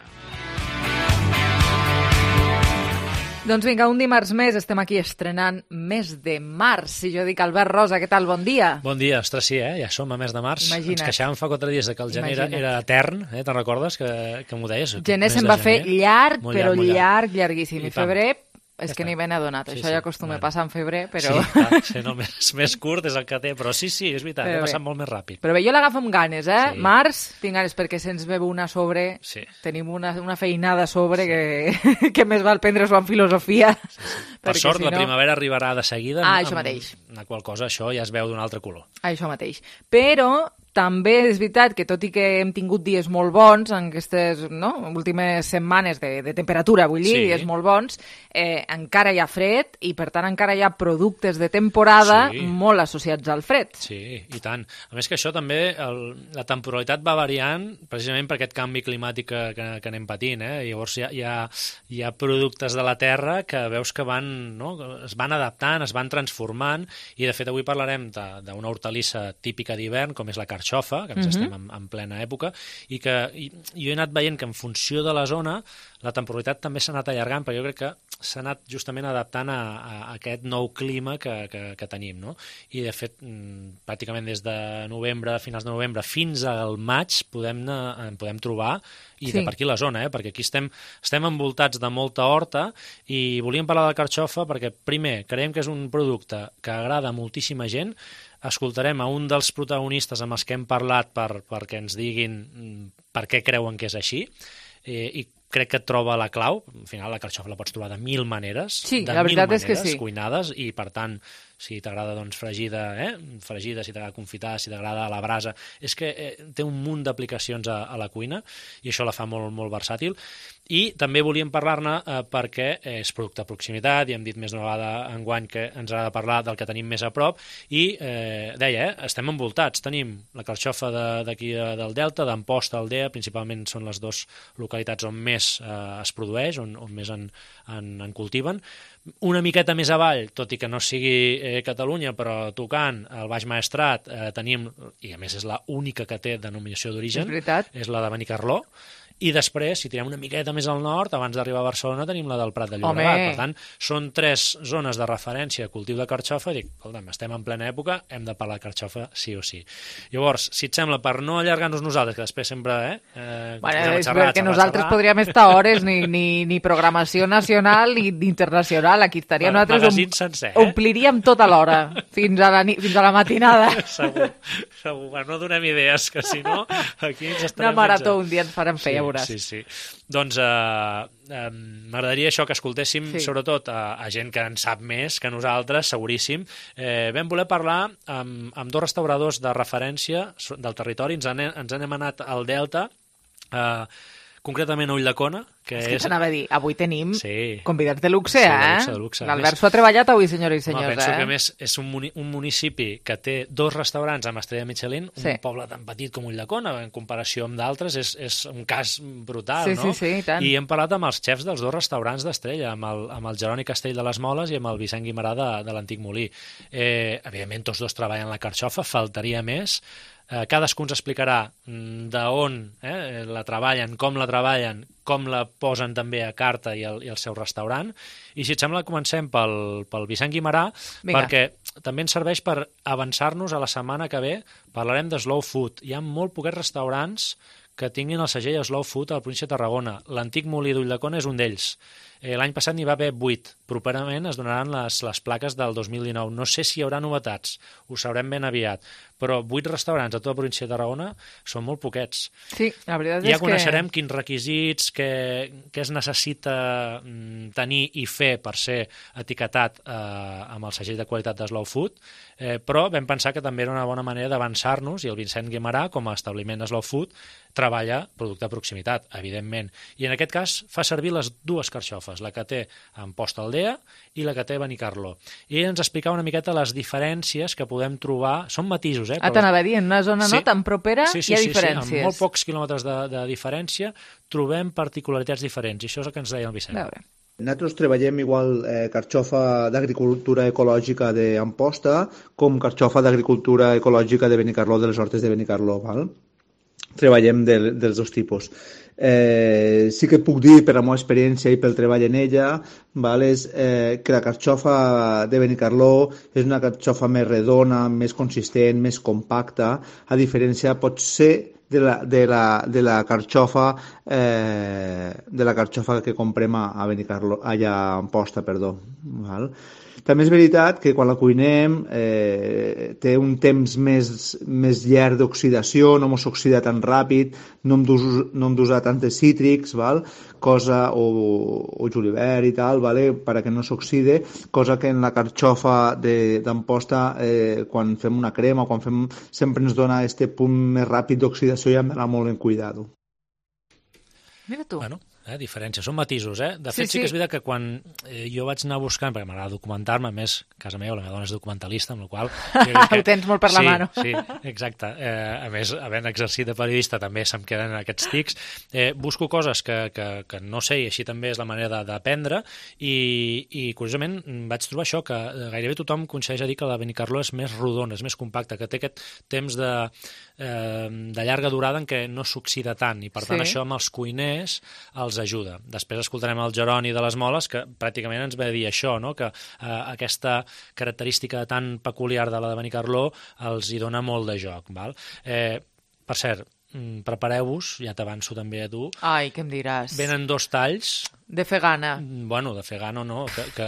Doncs vinga, un dimarts més, estem aquí estrenant mes de març. Si jo dic Albert Rosa, què tal? Bon dia. Bon dia, ostres, sí, ja som a mes de març. Imagina't. Ens queixàvem fa 4 dies que el gener era etern, te'n recordes que m'ho deies? Gener se'n va fer llarg, però llarg, llarguíssim. I febrer... És que ni ben adonat, això ja acostuma a passar en febrer, però... Sí, no, més curt és el que té, però sí, és veritat, ha passat molt més ràpid. Però bé, jo l'agafo amb ganes, Març, tinc ganes perquè se'ns veu una sobre, tenim una feinada a sobre que més val prendre-s'ho en filosofia. Per sort, la primavera arribarà de seguida, això mateix. La qual cosa això ja es veu d'un altre color. Això mateix. Però... també és veritat que, tot i que hem tingut dies molt bons en aquestes últimes setmanes de temperatura, vull dir, dies molt bons, encara hi ha fred i, per tant, encara hi ha productes de temporada molt associats al fred. Sí, i tant. A més que això també, la temporalitat va variant precisament per aquest canvi climàtic que anem patint. Llavors hi ha productes de la terra que veus que es van adaptant, es van transformant, i de fet avui parlarem d'una hortalissa típica d'hivern, com és la carxofa, que ens estem en plena època, i que jo he anat veient que en funció de la zona la temporalitat també s'ha anat allargant, però jo crec que s'ha anat justament adaptant a aquest nou clima que tenim, no? I de fet, pràcticament des de novembre, finals de novembre, fins al maig podem trobar, i de per aquí la zona, perquè aquí estem envoltats de molta horta, i volíem parlar de la carxofa perquè, primer, creiem que és un producte que agrada a moltíssima gent. Escoltarem a un dels protagonistes amb els que hem parlat perquè ens diguin per què creuen que és així, i crec que troba la clau. Al final la carxofa la pots trobar de 1000 maneres, cuinades, i per tant, si t'agrada fregida, si t'agrada confitada, si t'agrada a la brasa, és que té un munt d'aplicacions a la cuina i això la fa molt, molt versàtil. I també volíem parlar-ne perquè és producte de proximitat, i hem dit més d'una vegada enguany que ens ha de parlar del que tenim més a prop, i deia, estem envoltats, tenim la carxofa d'aquí del Delta, d'Amposta, Aldea, principalment són les dues localitats on més es produeix, on més en cultiven. Una miqueta més avall, tot i que no sigui Catalunya, però tocant el Baix Maestrat, tenim, i a més és l'única que té denominació d'origen, és la de Benicarló. I després, si tirem una miqueta més al nord, abans d'arribar a Barcelona, tenim la del Prat de Llobregat. Per tant, són 3 zones de referència a cultiu de carxofa, i dic, escolta'm, estem en plena època, hem de parlar de carxofa sí o sí. Llavors, si et sembla, per no allargar-nos nosaltres, que després sempre... és que nosaltres podríem estar hores, ni programació nacional ni internacional, aquí estaria nosaltres, ompliríem tota l'hora, fins a la matinada. Segur, no donem idees, que si no, aquí ens estarem... Una marató un dia ens farem fer. Sí. Doncs m'agradaria això, que escoltéssim sobretot a gent que en sap més que nosaltres, seguríssim. Vam voler parlar amb 2 restauradors de referència del territori. Ens n'hem anat al Delta, concretament a Ulldecona, que és... t'anava a dir, avui tenim sí. convidats de luxe, de luxe. L'Albert s'ho ha treballat avui, senyores i senyors. Penso que a més és un municipi que té 2 restaurants amb estrella Michelin, un poble tan petit com Ulldecona, en comparació amb d'altres, és un cas brutal, no? Sí, tant. I hem parlat amb els xefs dels 2 restaurants d'estrella, amb el Jeroni Castell de les Moles i amb el Vicent Guimarà de l'Antic Molí. Evidentment, tots 2 treballen la carxofa, faltaria més. Cadascú ens explicarà d'on la treballen, com la posen també a carta i al seu restaurant. I si et sembla, comencem pel Vicent Guimarà, perquè també ens serveix per avançar-nos a la setmana que ve. Parlarem de slow food. Hi ha molt poquets restaurants que tinguin el segell Slow Food a la província de Tarragona. L'Antic Molí d'Ulldecona és un d'ells. L'any passat n'hi va haver 8. Properament es donaran les plaques del 2019. No sé si hi haurà novetats, ho sabrem ben aviat, però 8 restaurants a tota la província de Tarragona són molt poquets. Sí, la veritat és que... Ja coneixerem quins requisits, què es necessita tenir i fer per ser etiquetat amb el segell de qualitat de Slow Food, però vam pensar que també era una bona manera d'avançar-nos, i el Vicent Guimarà, com a establiment de Slow Food, treballa producte de proximitat, evidentment. I en aquest cas fa servir les 2 carxofes, la que té Amposta Aldea i la que té Benicarló. I ens explicava una miqueta les diferències que podem trobar, són matisos, t'anava a dir, en una zona no tan propera hi ha diferències. Sí, amb molt pocs quilòmetres de diferència trobem particularitats diferents, i això és el que ens deia el Vicent. Nosaltres treballem igual carxofa d'agricultura ecològica d'Amposta com carxofa d'agricultura ecològica de Benicarló, de les hortes de Benicarló, val? Treballem dels 2 tipus. Sí que puc dir, per la meva experiència i pel treball en ella, val, és que la carxofa de Benicarló és una carxofa més redona, més consistent, més compacta, a diferència, pot ser, de la carxofa que comprem a Benicarló, allà a Amposta, perdó, val? També és veritat que quan la cuinem té un temps més llarg d'oxidació, no s'oxida tan ràpid, no hem d'usar tantes cítrics, val? O julivert i tal, vale? Perquè no s'oxide, cosa que en la carxofa d'Amposta, quan fem una crema, sempre ens dona aquest punt més ràpid d'oxidació i hem d'anar molt en cuidado. Mira tu. Bueno, diferències, són matisos, De fet, sí que és veritat que quan jo vaig anar buscant, perquè m'agrada documentar-me, a més, a casa meva, la meva dona és documentalista, amb la qual ho tens molt per la mano. Sí, exacte. A més, havent exercit de periodista, també se'm queden aquests tics. Busco coses que no sé, i així també és la manera d'aprendre, i curiosament vaig trobar això, que gairebé tothom coincideix a dir que la Benicarló és més rodona, és més compacta, que té aquest temps de llarga durada en què no s'oxida tant, i per tant això amb els cuiners els ajuda. Després escoltarem el Jeroni de les Moles, que pràcticament ens va dir això, no? Que aquesta característica tan peculiar de la de Benicarló els hi dona molt de joc. Val? Per cert, prepareu-vos, ja t'avanço també a tu. Ai, què em diràs? Venen 2 talls. De fer gana. Bueno, de fer gana no, que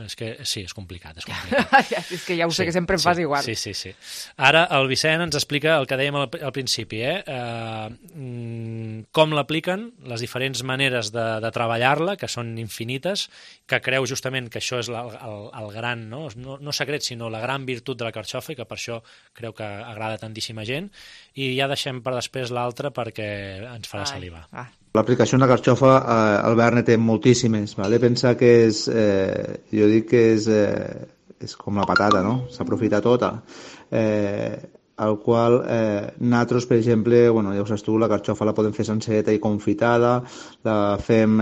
és que sí, és complicat. És que ja ho sé, que sempre em fas igual. Sí. Ara el Vicent ens explica el que dèiem al principi, com l'apliquen, les diferents maneres de treballar-la, que són infinites, que creu justament que això és el gran, no secret, sinó la gran virtut de la carxofa, i que per això creu que agrada tantíssima gent, i ja deixem per després l'altre perquè ens farà salivar. L'aplicació de la carxofa, Albert, ne té moltíssimes. Vale? Pensa que jo dic que és com la patata, no? S'aprofita tota. Al qual nosaltres, per exemple, ja ho saps tu, la carxofa la podem fer senceta i confitada, la fem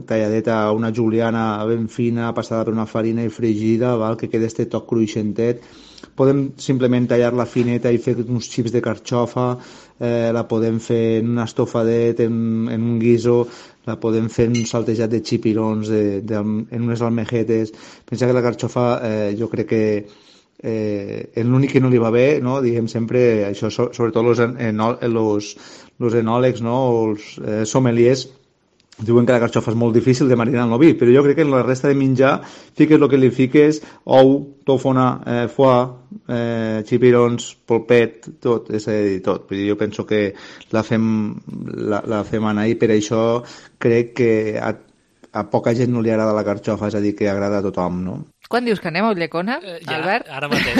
talladeta a una juliana ben fina, passada per una farina i fregida, val? Que quedi este toc cruixentet. Podem simplement tallar-la fineta i fer uns xips de carxofa, la podem fer en un estofadet, en un guiso, la podem fer en un saltejat de xipirons, en unes almejetes. Pensa que la carxofa jo crec que l'únic que no li va bé, no? Diguem sempre, això, sobretot els enòlegs, no? O els sommeliers, diuen que la carxofa és molt difícil de marinar en l'oví, però jo crec que en la resta de menjar fiques el que li fiques, ou, tòfona, foie, xipirons, polpet, tot, és a dir, tot. Jo penso que la fem anar i per això crec que a poca gent no li agrada la carxofa, és a dir, que agrada a tothom, no? Quan dius que anem a Ulldecona, Albert? Ara mateix,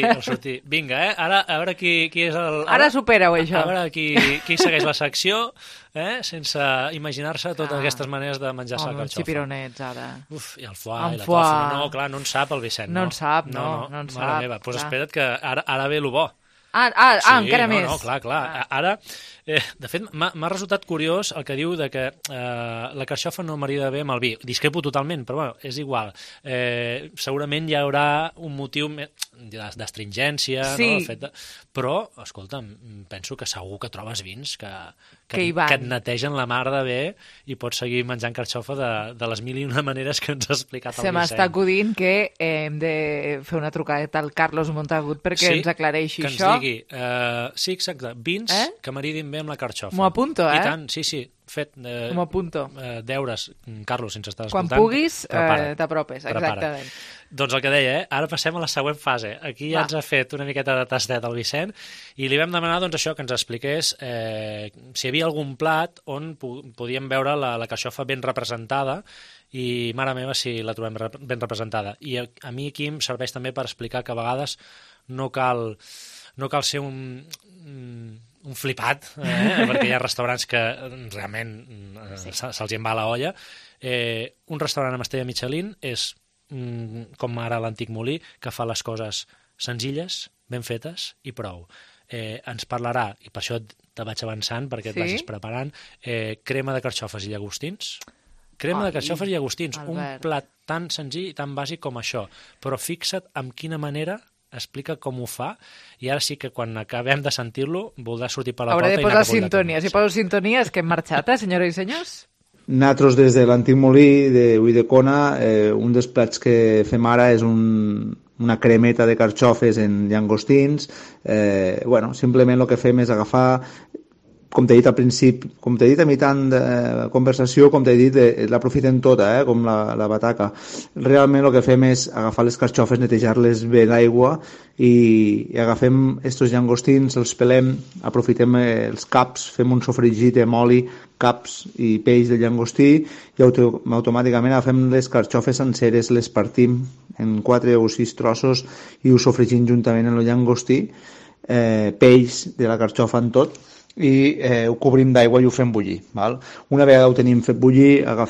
al sortir. Vinga, ara a veure qui és el... Ara supera-ho, això. A veure qui segueix la secció, sense imaginar-se totes aquestes maneres de menjar-se la carxofa. Uns xipironets, ara. Uf, i el foie, i la tofa. No, clar, no en sap el Vicent. No en sap, no en sap. Mare meva, doncs espera't que ara ve lo bo. Encara més. No, clar. Ara, de fet, m'ha resultat curiós el que diu de que la carxofa no marida bé amb el vi. Discrepo totalment, però bueno, és igual. Segurament hi haurà un motiu d'astringència, no? Però, escolta'm, penso que segur que trobes vins que et netegen la mar de bé i pots seguir menjant carxofa de les mil i una maneres que ens ha explicat el Vicent. Se m'està acudint que hem de fer una trucadeta al Carlos Montagut perquè ens aclareixi això. Que ens digui, sí, exacte, vins que maridin bé amb la carxofa. M'ho apunto, I tant, sí, fet m'ho apunto. Deures, Carlos, si ens estàs escoltant. Quan puguis, t'apropes, exactament. Doncs el que deia, ara passem a la següent fase. Aquí ja ens ha fet una miqueta de tastet el Vicent i li vam demanar doncs, això, que ens expliqués si hi havia algun plat on podíem veure la carxofa ben representada i, mare meva, si la trobem ben representada. I a mi aquí em serveix també per explicar que a vegades no cal ser un flipat, perquè hi ha restaurants que realment se'ls en va la olla. Un restaurant amb estrella Michelin és com ara l'Antic Molí, que fa les coses senzilles, ben fetes i prou. Ens parlarà, i per això te vaig avançant perquè et vagis preparant, crema de carxofes i llagostins. Crema de carxofes i llagostins, un plat tan senzill i tan bàsic com això, però fixa't amb quina manera explica com ho fa, i ara sí que quan acabem de sentir-lo voldrà sortir per la porta i anar cap a Hauré de posar sintonia. Si poso sintonia és que hem marxat, senyores i senyors. Nosaltres, des de l'Antic Molí d'Ulldecona, un dels plats que fem ara és una cremeta de carxofes en llagostins. Simplement el que fem és agafar, com t'he dit al principi, com t'he dit a mitjan de conversació, com t'he dit, l'aprofitem tota, com la bataca. Realment el que fem és agafar les carxofes, netejar-les bé d'aigua i agafem estos llagostins, els pelem, aprofitem els caps, fem un sofregit amb oli, caps i peix de llagostí i automàticament agafem les carxofes senceres, les partim en 4 o 6 trossos i ho sofregim juntament amb el llagostí, peix de la carxofa en tot, i ho cobrim d'aigua i ho fem bullir. Val? Una vegada ho tenim fet bullir, ho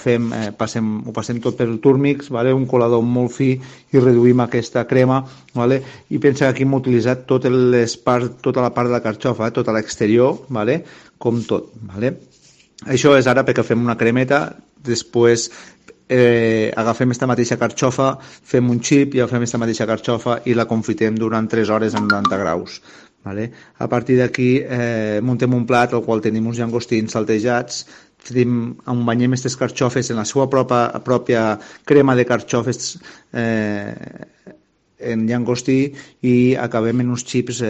passem tot per el túrmix, vale? Un colador molt fi i reduïm aquesta crema, vale? I pensa que aquí hem utilitzat tota la part de la carxofa, tota l'exterior, vale? Com tot. Vale? Això és ara perquè fem una cremeta, després agafem aquesta mateixa carxofa, fem un xip i agafem aquesta mateixa carxofa i la confitem durant 3 hores a 90 graus. Vale? A partir d'aquí muntem un plat al qual tenim uns llagostins saltejats, banyem aquestes carxofes en la seva pròpia crema de carxofes en llagostí i acabem en uns xips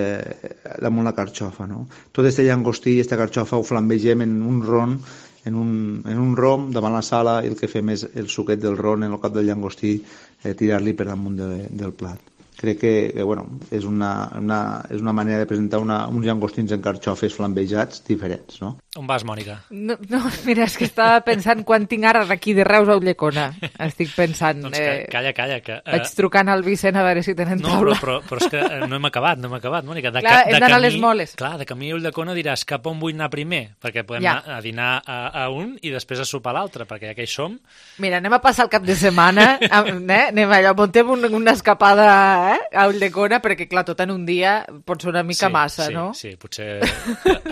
damunt la carxofa. No? Tot aquest llagostí i aquesta carxofa ho flambegem en un ron, en un rom davant la sala, i el que fem és el suquet del ron en el cap del llagostí, tirar-li per damunt del plat. Crec que és una manera de presentar uns llagostins en carxofes flambejats diferents, no? On vas, Mònica? No, mira, és que estava pensant quan tinc ara d'aquí de Reus a Ulldecona. Estic pensant... Doncs calla. Que, vaig trucant al Vicent a veure si tenen taula. Però és que no hem acabat, Mònica. Clar, hem d'anar a les moles. Clar, de camí a Ulldecona diràs cap on vull anar primer, perquè podem anar a dinar a un i després a sopar a l'altre, perquè ja que hi som... Mira, anem a passar el cap de setmana, anem allò, muntem una escapada a Ulldecona, perquè clar, tot en un dia pot ser una mica massa, no? Sí, potser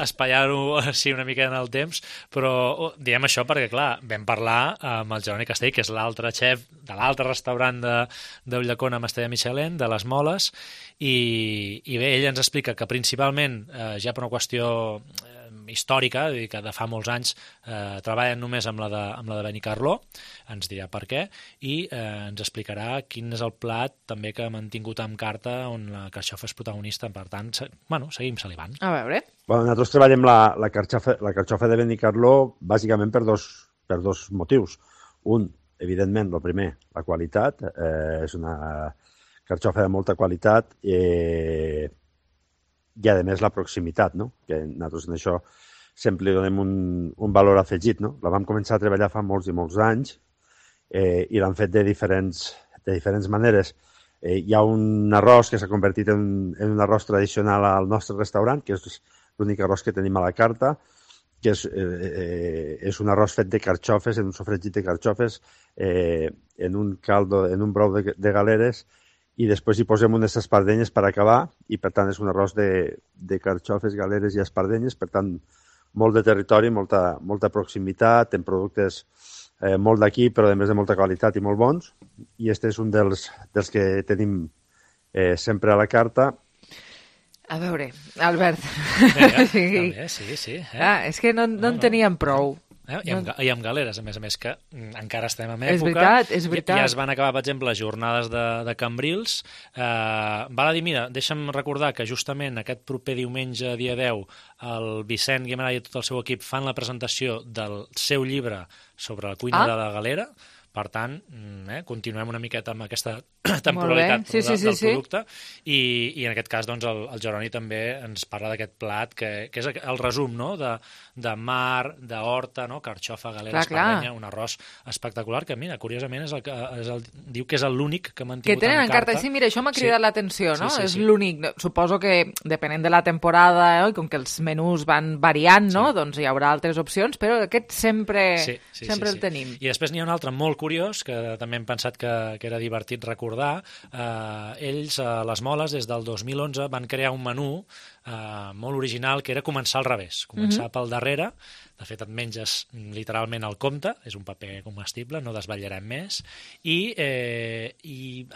espaiar-ho així una mica en el temps, però diem això perquè, clar, vam parlar amb el Jeroni Castell, que és l'altre xef de l'altre restaurant d'Ulldecona amb estrella Michelin, de les Moles, i bé, ell ens explica que principalment, ja per una qüestió històrica, és a dir, que de fa molts anys treballen només amb la de Benicarló, ens dirà per què, i ens explicarà quin és el plat també que ha mantingut amb carta on la carxofa és protagonista. Per tant, seguim salivant. A veure. Nosaltres treballem la carxofa de Benicarló bàsicament per dos motius. Un, evidentment, el primer, la qualitat. És una carxofa de molta qualitat i a més la proximitat, no? Que nosaltres en això sempre li donem un valor afegit, no? La vam començar a treballar fa molts i molts anys i l'han fet de diferents de diferents maneres. Hi ha un arròs que s'ha convertit en un arròs tradicional al nostre restaurant, que és l'únic arròs que tenim a la carta, que és un arròs fet de carxofes, en un sofregit de carxofes, en un caldo, en un brou de galeres, i després hi posem unes espardenyes per acabar, i per tant és un arròs de carxofes, galeres i espardenyes, per tant molt de territori, molta proximitat, en productes molt d'aquí, però a més de molta qualitat i molt bons, i este és un dels que tenim sempre a la carta. A veure, Albert. També, sí. És que no en teníem prou. I amb galeres, a més que encara estem en època. És veritat. Ja es van acabar, per exemple, les jornades de Cambrils. Val a dir, mira, deixa'm recordar que justament aquest proper diumenge, dia 10, el Vicent Guimarà i tot el seu equip fan la presentació del seu llibre sobre la cuina de la galera. Per tant, continuem una miqueta amb aquesta temporalitat del producte i en aquest cas doncs, el Jeroni també ens parla d'aquest plat que és el resum, no? de mar, d'horta, no? Carxofa, galera, espardenya, un arròs espectacular que, mira, curiosament diu que és l'únic que m'han tingut en carta. Sí, mira, això m'ha cridat l'atenció, no? És l'únic. Suposo que depenent de la temporada i com que els menús van variant, no? Doncs hi haurà altres opcions, però aquest sempre el tenim. I després n'hi ha un altre molt curiós, que també hem pensat que era divertit recordar. Ells, a Les Moles, des del 2011, van crear un menú molt original, que era començar al revés, començar pel darrere. De fet, et menges literalment el compte, és un paper comestible, no desvetllarem més, i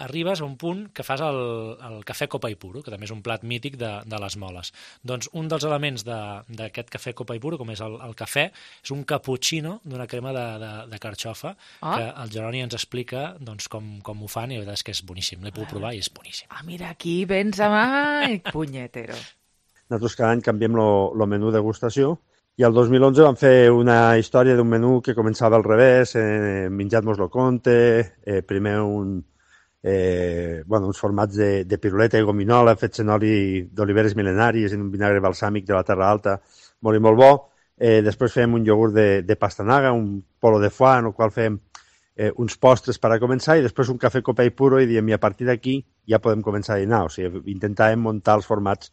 arribes a un punt que fas el cafè copa i puro, que també és un plat mític de Les Moles. Doncs un dels elements d'aquest cafè copa i puro, com és el cafè, és un cappuccino d'una crema de carxofa, que el Jeroni ens explica doncs, com ho fan, i la veritat és que és boníssim, l'he pogut provar i és boníssim. Mira, aquí vens amb punyetero. Nosaltres cada any canviem el menú de degustació, i el 2011 vam fer una història d'un menú que començava al revés, menjat-mos lo conte, primer uns formats de piruleta i gominola fets en oli d'oliveres mil·lenaris en un vinagre balsàmic de la Terra Alta, molt i molt bo. Després fèiem un iogurt de pastanaga, un polo de foie, en el qual fèiem uns postres per a començar, i després un cafè copa i puro, i diem, i a partir d'aquí ja podem començar a dinar. O sigui, intentàvem muntar els formats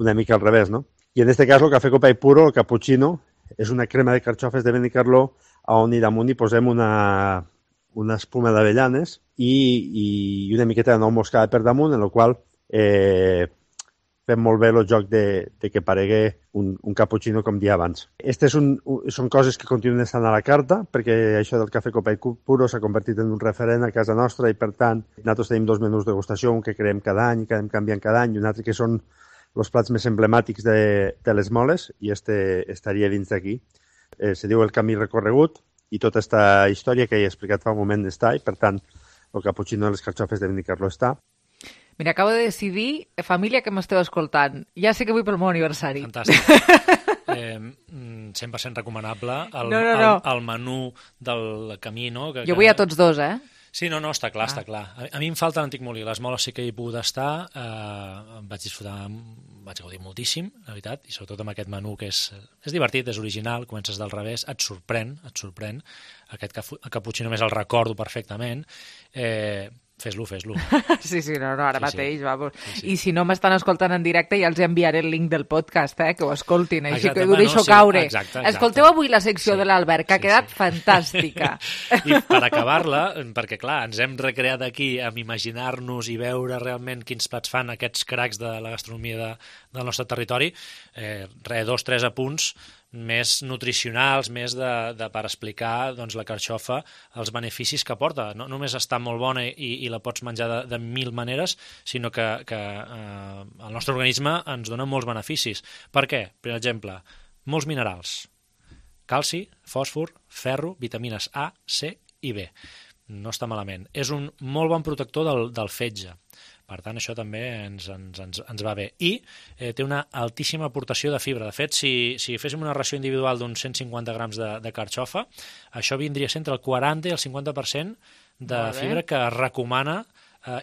una mica al revés, no? I en aquest cas el cafè copa i puro, el cappuccino, és una crema de carxofes de Benicarló on i damunt hi posem una espuma d'avellanes i una miqueta de nou moscada per damunt, en la qual fem molt bé el joc de que paregui un cappuccino com dia abans. Aquestes són coses que continuen estant a la carta, perquè això del cafè copa i puro s'ha convertit en un referent a casa nostra, i per tant nosaltres tenim 2 menús de degustació, un que creem cada any, que anem canviant cada any, i un altre que són els plats més emblemàtics de Les Moles, i estaria dins d'aquí. Se diu El camí recorregut, i tota aquesta història que he explicat fa un moment està, i per tant el cappuccino de les carxofes de Benicarló està. Mira, acabo de decidir, família que m'esteu escoltant, ja sé que vull pel meu aniversari. Fantàstic. 100% recomanable el menú del camí, no? Jo vull a tots dos, Sí, no, està clar, està clar. A mi em falta l'Antic Molí. Les Moles sí que hi he pogut estar, em vaig disfrutar, vaig gaudir moltíssim, la veritat, i sobretot amb aquest menú que és divertit, és original, comences del revés, et sorprèn. Aquest cappuccino més el recordo perfectament. Fes-lo. Sí, no, ara mateix, vamos. Sí. I si no m'estan escoltant en directe, ja els enviaré el link del podcast, que ho escoltin, així que ho deixo caure. Exacte. Escolteu avui la secció de l'Albert, que ha quedat fantàstica. I per acabar-la, perquè clar, ens hem recreat aquí amb imaginar-nos i veure realment quins plats fan aquests cracs de la gastronomia del nostre territori, 2-3 apunts més nutricionals, més per explicar doncs, la carxofa, els beneficis que porta. No només està molt bona i la pots menjar de 1000 maneres, sinó que el nostre organisme ens dona molts beneficis. Per què? Per exemple, molts minerals. Calci, fòsfor, ferro, vitamines A, C i B. No està malament. És un molt bon protector del fetge. Per tant, això també ens va bé. I té una altíssima aportació de fibra. De fet, si féssim una ració individual d'uns 150 grams de carxofa, això vindria entre el 40 i el 50% de fibra que es recomana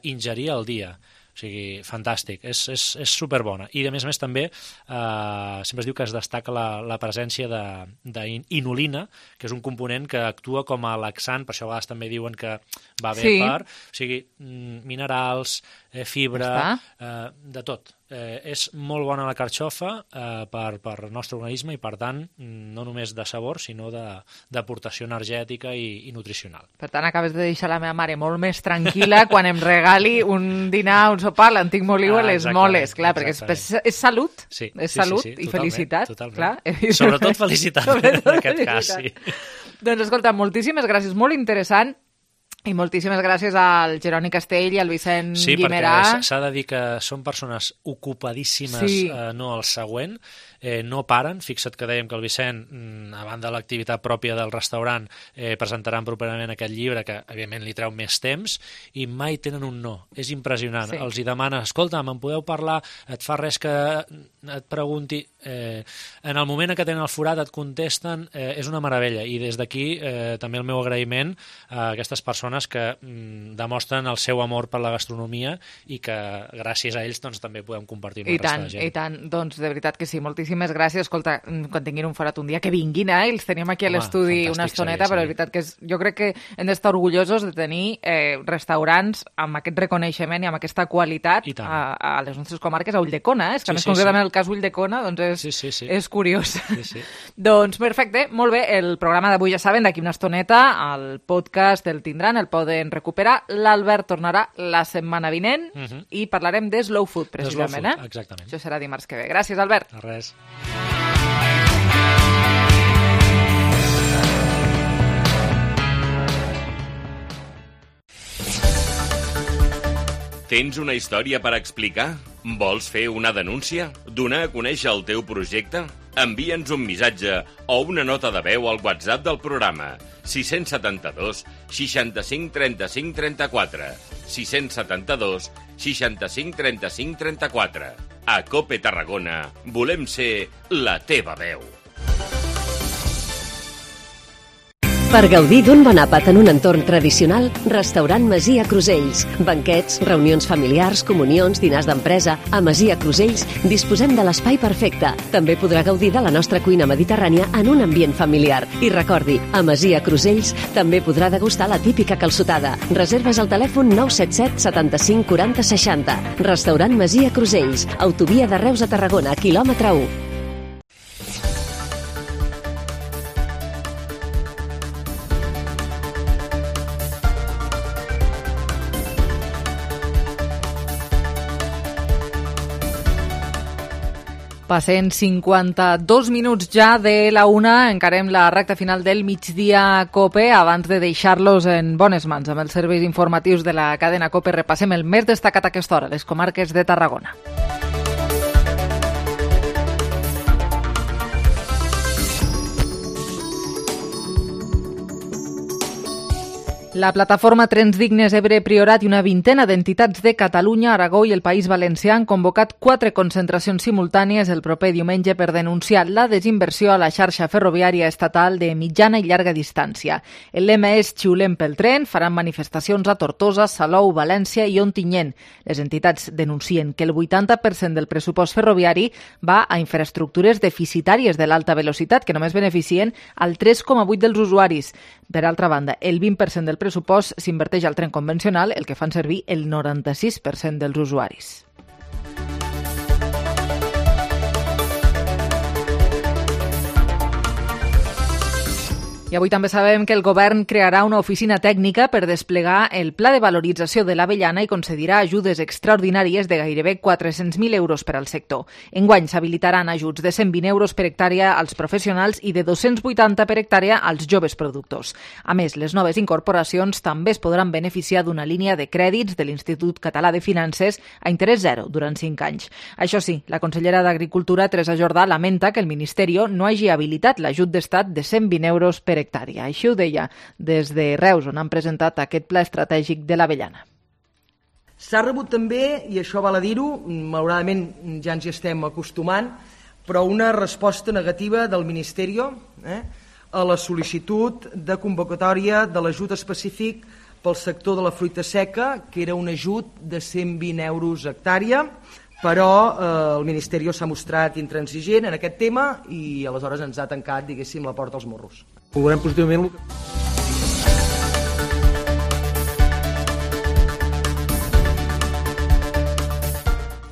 ingerir al dia. O sigui, fantàstic, és superbona. I, a més també, sempre es diu que es destaca la presència d'inulina, que és un component que actua com a laxant, per això a vegades també diuen que va bé per... O sigui, minerals, fibra, de tot. És molt bona la carxofa per al nostre organisme i, per tant, no només de sabor, sinó d'aportació energètica i nutricional. Per tant, acabes de deixar la meva mare molt més tranquil·la quan em regali un dinar, un sopar, l'antic moliu a les moles, clar, perquè és salut, és salut i felicitat. Clar. Sobretot felicitat, en aquest cas, sí. Doncs escolta, moltíssimes gràcies, molt interessant. I moltíssimes gràcies al Jeroni Castell i al Vicent Guimerà. Sí, perquè s'ha de dir que són persones ocupadíssimes, no el següent, no paren. Fixa't que dèiem que el Vicent, a banda de l'activitat pròpia del restaurant, presentaran properament aquest llibre, que evidentment li treu més temps, i mai tenen un no. És impressionant. Els hi demana, escolta, me'n podeu parlar, et fa res que et pregunti... En el moment en què tenen el forat et contesten, és una meravella, i des d'aquí també el meu agraïment a aquestes persones que demostren el seu amor per la gastronomia i que gràcies a ells doncs, també podem compartir amb la resta de gent. I tant, doncs de veritat que sí, moltíssimes gràcies. Escolta, quan tinguin un forat un dia que vinguin, els tenim aquí a l'estudi una estoneta, però és veritat que jo crec que hem d'estar orgullosos de tenir restaurants amb aquest reconeixement i amb aquesta qualitat a les nostres comarques, a Ulldecona, és que més concretament el cas Ulldecona doncs és curiós. Doncs perfecte, molt bé, el programa d'avui ja saben, d'aquí una estoneta el podcast el tindran, el poden recuperar. L'Albert tornarà la setmana vinent i parlarem de slow food, precisament. Exactament. Això serà dimarts que ve. Gràcies, Albert. De res. Tens una història per explicar? Vols fer una denúncia? Donar a conèixer el teu projecte? Envia'ns un missatge o una nota de veu al WhatsApp del programa 672 65 35 34 672 65 35 34. A COPE Tarragona volem ser la teva veu. Per gaudir d'un bon àpat en un entorn tradicional, Restaurant Masia Crusells. Banquets, reunions familiars, comunions, dinars d'empresa... A Masia Crusells disposem de l'espai perfecte. També podrà gaudir de la nostra cuina mediterrània en un ambient familiar. I recordi, a Masia Crusells també podrà degustar la típica calçotada. Reserves al telèfon 977 75 40 60. Restaurant Masia Crusells. Autovia de Reus a Tarragona, quilòmetre 1. Passen 52 minuts ja de la una, encarem la recta final del migdia COPE. Abans de deixar-los en bones mans amb els serveis informatius de la cadena COPE, repassem el més destacat a aquesta hora, les comarques de Tarragona. La plataforma Trens Dignes Ebre Priorat i una vintena d'entitats de Catalunya, Aragó i el País Valencià han convocat 4 concentracions simultànies el proper diumenge per denunciar la desinversió a la xarxa ferroviària estatal de mitjana i llarga distància. El lema és Xiulem pel tren, faran manifestacions a Tortosa, Salou, València i Ontinyent. Les entitats denuncien que el 80% del pressupost ferroviari va a infraestructures deficitàries de l'alta velocitat que només beneficien al 3,8% dels usuaris. Per altra banda, el 20% del pressupost s'inverteix al tren convencional, el que fan servir el 96% dels usuaris. I avui també sabem que el govern crearà una oficina tècnica per desplegar el pla de valorització de l'avellana i concedirà ajudes extraordinàries de gairebé 400.000 euros per al sector. Enguany s'habilitaran ajuts de 120 euros per hectàrea als professionals i de 280 per hectàrea als joves productors. A més, les noves incorporacions també es podran beneficiar d'una línia de crèdits de l'Institut Català de Finances a interès zero durant 5 anys. Això sí, la consellera d'Agricultura, Teresa Jordà, lamenta que el Ministeri no hagi habilitat l'ajut d'estat de 120 euros per hectàrea. Així ho deia des de Reus, on han presentat aquest pla estratègic de l'avellana. S'ha rebut també, i això val a dir-ho, malauradament ja ens hi estem acostumant, però una resposta negativa del Ministeri a la sol·licitud de convocatòria de l'ajut específic pel sector de la fruita seca, que era un ajut de 120 euros hectàrea, però el Ministeri s'ha mostrat intransigent en aquest tema i aleshores ens ha tancat, diguéssim, la porta als morros. Veurem positivament.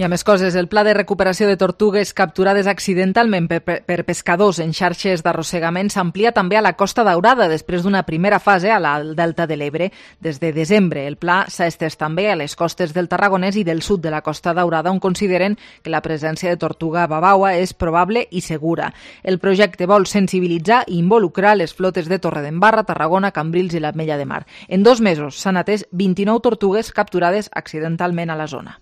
I a més coses, el pla de recuperació de tortugues capturades accidentalment per pescadors en xarxes d'arrossegament s'amplia també a la Costa Daurada després d'una primera fase al Delta de l'Ebre. Des de desembre, el pla s'ha estès també a les costes del Tarragonès i del sud de la Costa Daurada, on consideren que la presència de tortuga babaua és probable i segura. El projecte vol sensibilitzar i involucrar les flotes de Torredembarra, Tarragona, Cambrils i l'Ametlla de Mar. En 2 mesos s'han atès 29 tortugues capturades accidentalment a la zona.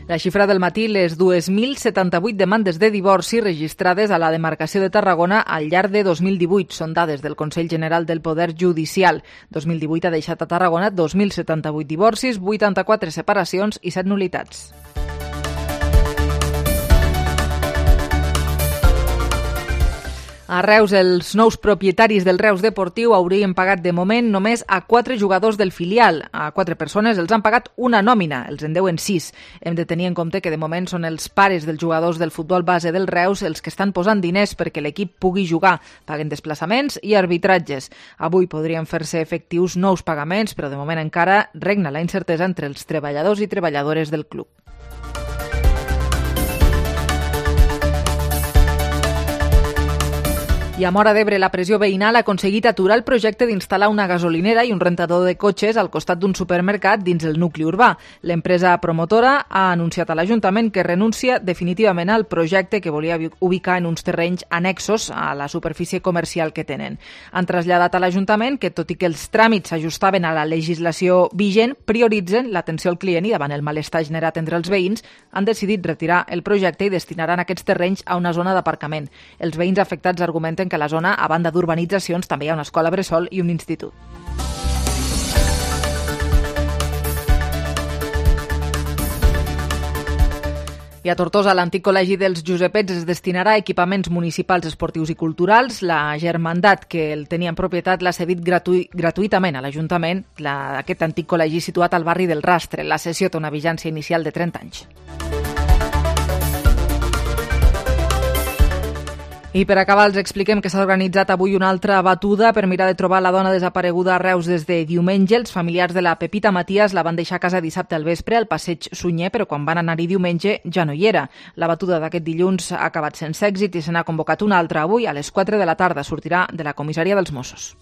La xifra del matí, les 2.078 demandes de divorci registrades a la demarcació de Tarragona al llarg de 2018. Són dades del Consell General del Poder Judicial. 2018 ha deixat a Tarragona 2.078 divorcis, 84 separacions i 7 nul·litats. A Reus, els nous propietaris del Reus Deportiu haurien pagat de moment només a 4 jugadors del filial. A 4 persones els han pagat una nòmina, els en deuen 6. Hem de tenir en compte que de moment són els pares dels jugadors del futbol base del Reus els que estan posant diners perquè l'equip pugui jugar. Paguen desplaçaments i arbitratges. Avui podrien fer-se efectius nous pagaments, però de moment encara regna la incertesa entre els treballadors i treballadores del club. I a Móra d'Ebre, la pressió veïnal ha aconseguit aturar el projecte d'instal·lar una gasolinera i un rentador de cotxes al costat d'un supermercat dins el nucli urbà. L'empresa promotora ha anunciat a l'Ajuntament que renuncia definitivament al projecte que volia ubicar en uns terrenys annexos a la superfície comercial que tenen. Han traslladat a l'Ajuntament que, tot i que els tràmits s'ajustaven a la legislació vigent, prioritzen l'atenció al client i davant el malestar generat entre els veïns han decidit retirar el projecte i destinaran aquests terrenys a una zona d'aparcament. Els veïns afectats argumenten que a la zona, a banda d'urbanitzacions, també hi ha una escola bressol i un institut. I a Tortosa, l'antic col·legi dels Josepets es destinarà a equipaments municipals, esportius i culturals. La Germandat, que el tenia en propietat, l'ha cedit gratuïtament a l'Ajuntament, aquest antic col·legi situat al barri del Rastre. La cessió té una vigència inicial de 30 anys. I per acabar els expliquem que s'ha organitzat avui una altra batuda per mirar de trobar la dona desapareguda a Reus des de diumenge. Els familiars de la Pepita Matías la van deixar a casa dissabte al vespre al passeig Sunyer, però quan van anar-hi diumenge ja no hi era. La batuda d'aquest dilluns ha acabat sense èxit i se n'ha convocat una altra avui a les 4 de la tarda. Sortirà de la comissaria dels Mossos.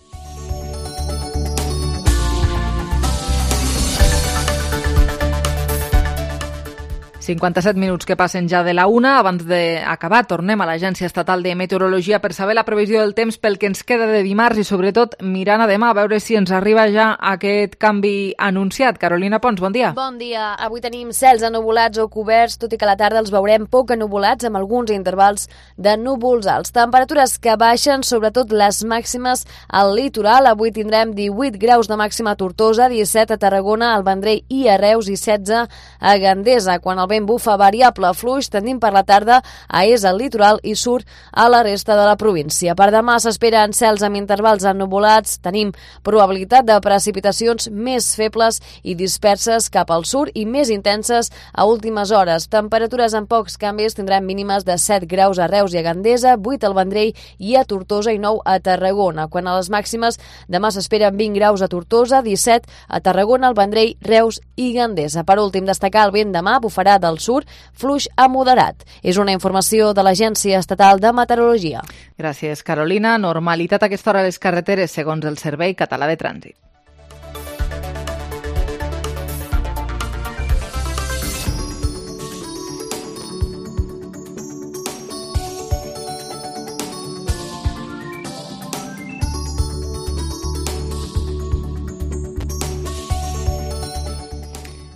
...57 minuts que passen ja de la 1. Abans d'acabar, tornem a l'Agència Estatal de Meteorologia per saber la previsió del temps pel que ens queda de dimarts i, sobretot, mirant a demà a veure si ens arriba ja aquest canvi anunciat. Carolina Pons, bon dia. Bon dia. Avui tenim cels ennuvolats o coberts, tot i que a la tarda els veurem poc ennuvolats amb alguns intervals de núvols alts. Temperatures que baixen, sobretot les màximes al litoral. Avui tindrem 18 graus de màxima a Tortosa, 17 a Tarragona, al Vendrell i a Reus i 16 a Gandesa. Quan el vent bufa variable fluix, tendint per la tarda a est al litoral i surt a la resta de la província. Per demà s'esperen cels amb intervals ennuvolats, tenim probabilitat de precipitacions més febles i disperses cap al sud i més intenses a últimes hores. Temperatures amb pocs canvis, tindrem mínimes de 7 graus a Reus i a Gandesa, 8 al Vendrell i a Tortosa i 9 a Tarragona. Quan a les màximes, demà s'esperen 20 graus a Tortosa, 17 a Tarragona, al Vendrell, Reus i Gandesa. Per últim, destacar el vent demà bufarà del sud, fluix a moderat. És una informació de l'Agència Estatal de Meteorologia. Gràcies, Carolina. Normalitat a aquesta hora a les carreteres, segons el Servei Català de Trànsit.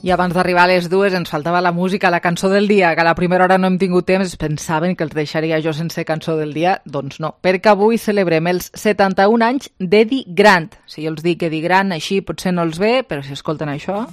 I abans d'arribar a les 2 ens faltava la música, la cançó del dia, que a la primera hora no hem tingut temps, pensaven que els deixaria jo sense cançó del dia, doncs no, perquè avui celebrem els 71 anys d'Eddie Grant. Si jo els dic Eddie Grant, així potser no els ve, però si escolten això...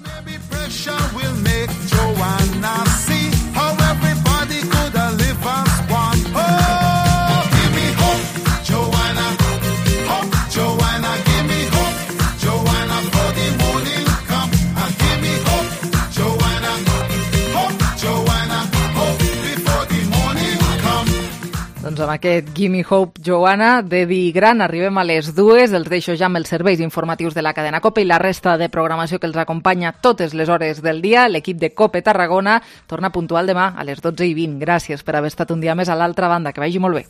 Doncs amb aquest Gimme Hope, Joanna, d'Eddie Grant, arribem a les 2, els deixo ja amb els serveis informatius de la cadena COPE i la resta de programació que els acompanya totes les hores del dia. L'equip de COPE Tarragona torna puntual demà a les 12:20. Gràcies per haver estat un dia més a l'altra banda. Que vagi molt bé.